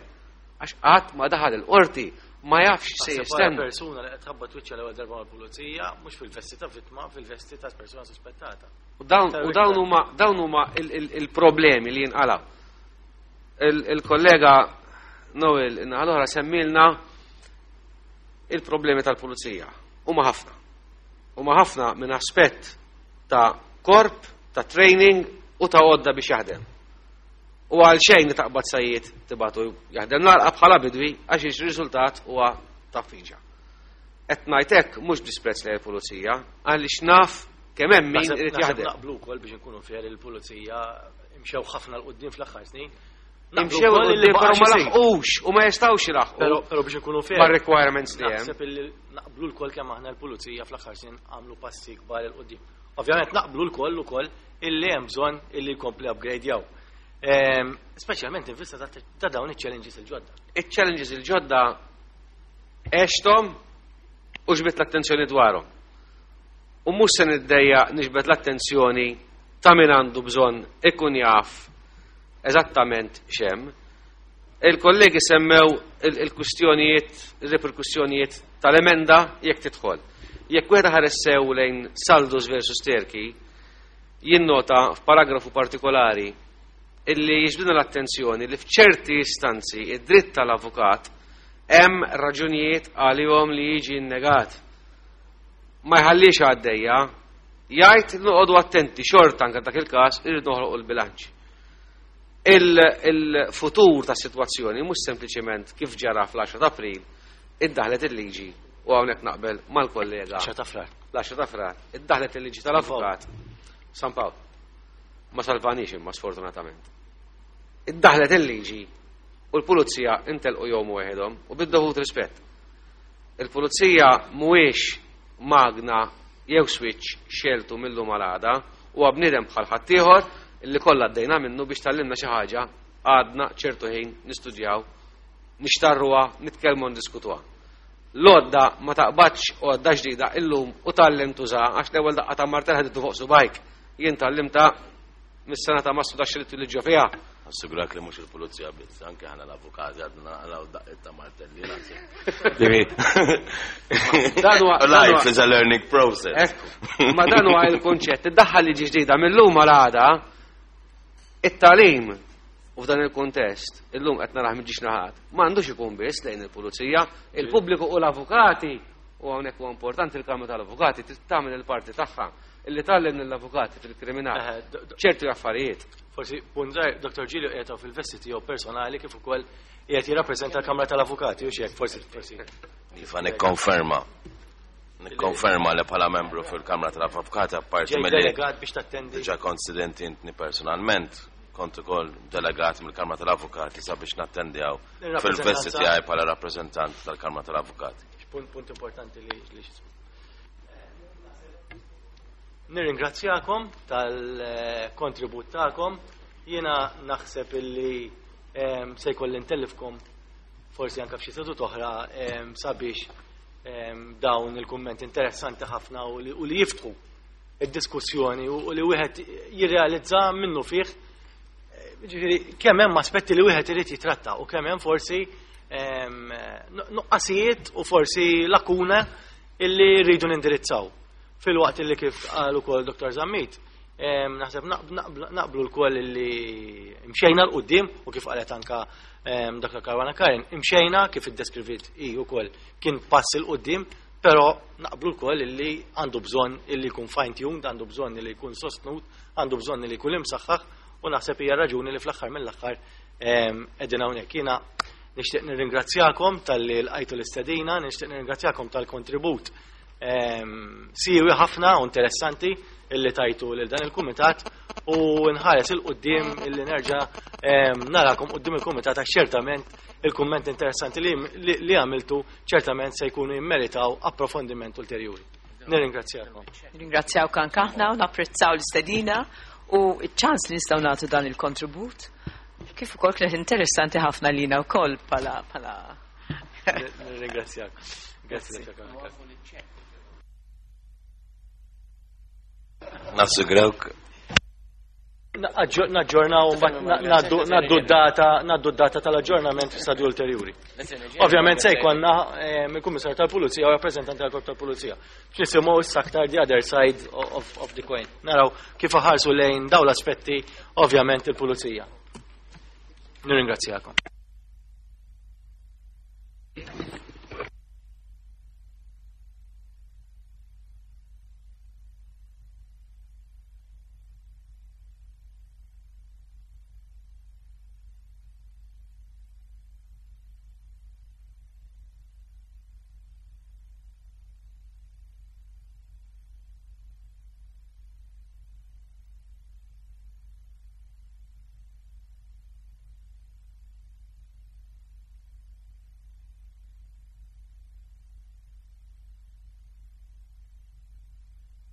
għax qatt ma daħal il-qorti, ma jafx se jistenna. Persuna li qed tħabbat wiċċha l-ewwel darba mal-pulizija mhux fil-vesti ta' vittma, fil-vesti ta' persuna suspettata. U dawn huma il-problemi li jinqalaw. Il-kollega Noel in-naħa semmilna il-problemi tal-pulizija. Huma ħafna. Huma ħafna minn aspett ta' korp, ta' training u ta' għodda biex jaħdem. U għal xejn li taqbad sajjied tibagħtu jaħdem l-għalqa bħala bidwi għax il-riżultat huwa ta' fiġa. Qed ngħid hekk mhux disprezz lejn il-pulizija, għaliex naf kemm hemm min irid jaħdem. Naqblu wkoll biex nkunu fair, il-pulizija imxew ħafna 'l quddiem fl-aħħar snin. Imxew 'l quddiem, però ma laħqux u ma jistgħux ilaħqu. Però biex nkunu fair. Ma requirements li hemm. Naħseb illi naqblu lkoll kemm aħna l-pulizija fl-aħħar snin għamlu passi kbar 'il quddiem. Ovvjament naqblu lkoll ukoll illi hemm bżonn illi jkompli upgrade jaw. Speċjalment in vista ta' dawn iċ-challenges il-ġodda. Iċ-challenges il-ġodda għexthom u ġbidt l-attenzjoni dwarhom. U mhux se niddejjaq niġbed l-attenzjoni ta' min għandu bżonn ikun jaf eżattament x'hemm. Il-kollegi semmew il-kwistjonijiet, il-reperkussjonijiet tal-emenda jekk tidħol. Jekk wieħed ħares sew lejn Saldus versus Turkey, jinnota f'paragrafu partikolari illi jiġbduna l-attenzjoni li f'ċerti istanzi id-dritt tal-avukat hemm raġunijiet għalihom li jiġi innegat. Ma jħallix għaddejja, jgħid noqogħdu attenti xorta anke dak il-każ irid noħloqu l-bilanċ. Il-futur ta' situazzjoni mhux sempliċement kif ġara fl-10 ta' April iddaħlet il-liġi u hawnhekk naqbel mal-kollega. 10 ta' Frar. L-10 ta' Frar, iddaħlet il-liġi tal-avukat San Pawl. Ma salvanix imma sfortunatament. Iddaħlet il-liġi u l-pulizija intelqu jom waħedhom u bid-dovut rispett. Il-pulizija mhuwiex magna jew switch xgħeltu mil-lum għal għada, u bniedem bħal ħaddieħor illi kollha għaddejna minnu biex tgħallimna xi ħaġa għadna ċertu ħin nistudjaw, nixtarruha, nitkellmu, ndiskutuha. L-għodda ma taqbadx għodda ġdida illum u tgħallem tuża għax l-ewwel daqqa ta' martell ħaditu fuq subgħajk. Jien tgħallimta mis-sena ta' massu da xrittu li ġo fiha. Assigurak li mhux il-pulizija biss, anke aħna l-avukati għadna naqilgħu daqqiet ta' martelli naħseb. Life is a learning process. Ekku, ma dan huwa il-kunċett, iddaħħal liġi ġdida mill-lum għal għada, it-tagħlim u f'dan il-kuntest, illum qed narah miġiex naħat, m'għandux ikun biss lejn il-pulizija, il-pubbliku u l-avukati, u hawnhekk huwa importanti il-Kamra tal-Avukati trid tagħmel il-parti tagħha. Illi tgħallem lill-avukati fil-kriminal ċertu affarijiet. Forsi punt żgħir, Dr. Giglio qiegħed fil-vesti tiegħu personali kif ukoll qiegħed jirrappreżenta l-Kamra tal-Avukati u x'hekk forsi. Iva nikkonferma. Nikkonferma li bħala membru fil-Kamra tal-Avukati apparti mill delegat biex tattendi. Diġà kont studenti intni personalment, kont ukoll delegat mill-Kamra tal-Avukati sabiex nattendi hawn fil-vesti tiegħi bħala rappreżentant tal-Kamra tal-Avukati. Punt importanti li Nirringrazzjakom tal-kontribut tagħkom. Jiena naħseb illi se jkolli ntellifkom forsi anke f'xi sedut oħra sabiex dawn il-kummenti interessanti ħafna u li jiftħu id-diskussjoni u li wieħed jirrealizza minnu fih ġifieri kemm hemm aspetti li wieħed irid jitratta u kemm hemm forsi nuqqasijiet u forsi lakuna illi rridu nindirizzaw. Filwaqt illi kif qal ukoll Dr. Zammit, naħseb naqblu lkoll illi mxejna 'l quddiem u kif qalet anka Dr. Caruana Curran, imxejna kif iddeskrivit hi wkoll kien pass 'il quddiem, però naqblu lkoll illi għandu bżonn illi jkun fine tuned, għandu bżonn illi jkun sostnut, għandu bżonn illi jkun imsaħħaħ u naħseb hija raġuni li fl-aħħar mill-aħħar qegħdin hawnhekk. Jiena nixtieq nirringrazzjakom talli lqajtu l-istedina, nixtieq nirringrazzjakom tal-kontribut siewi ħafna u interessanti illi tajtu lil dan il-kumitat u nħares 'il quddiem illi nerġa' narakom quddiem il-kumitat għax ċertament il-kumment interessanti li għamiltu ċertament se jkunu jimmeritaw approfondiment ulterjuri. Nirringrazzjakom. Nirringrazzjawk anke aħna u napprezzaw l-istedina u ċ-ċans li nistgħu nagħtu dan il-kontribut. Kif ukoll kienet interessanti ħafna lina wkoll bħala Nirringrazzjak. Grazzi. Nassigurawk. Naġġornaw ngħaddu d-data, ngħaddu d-data tal-aġġornament fi stadju ulterjuri. Ovvjament se jkollna il-Kummissarju tal-Pulizija u rappreżentanti tal-Korp tal-Pulizija. Nisimgħu issa aktar the other side of the coin. Naraw kif ħarsu lejn dawn l-aspetti ovvjament il-Pulizija. Nirringrazzjakom.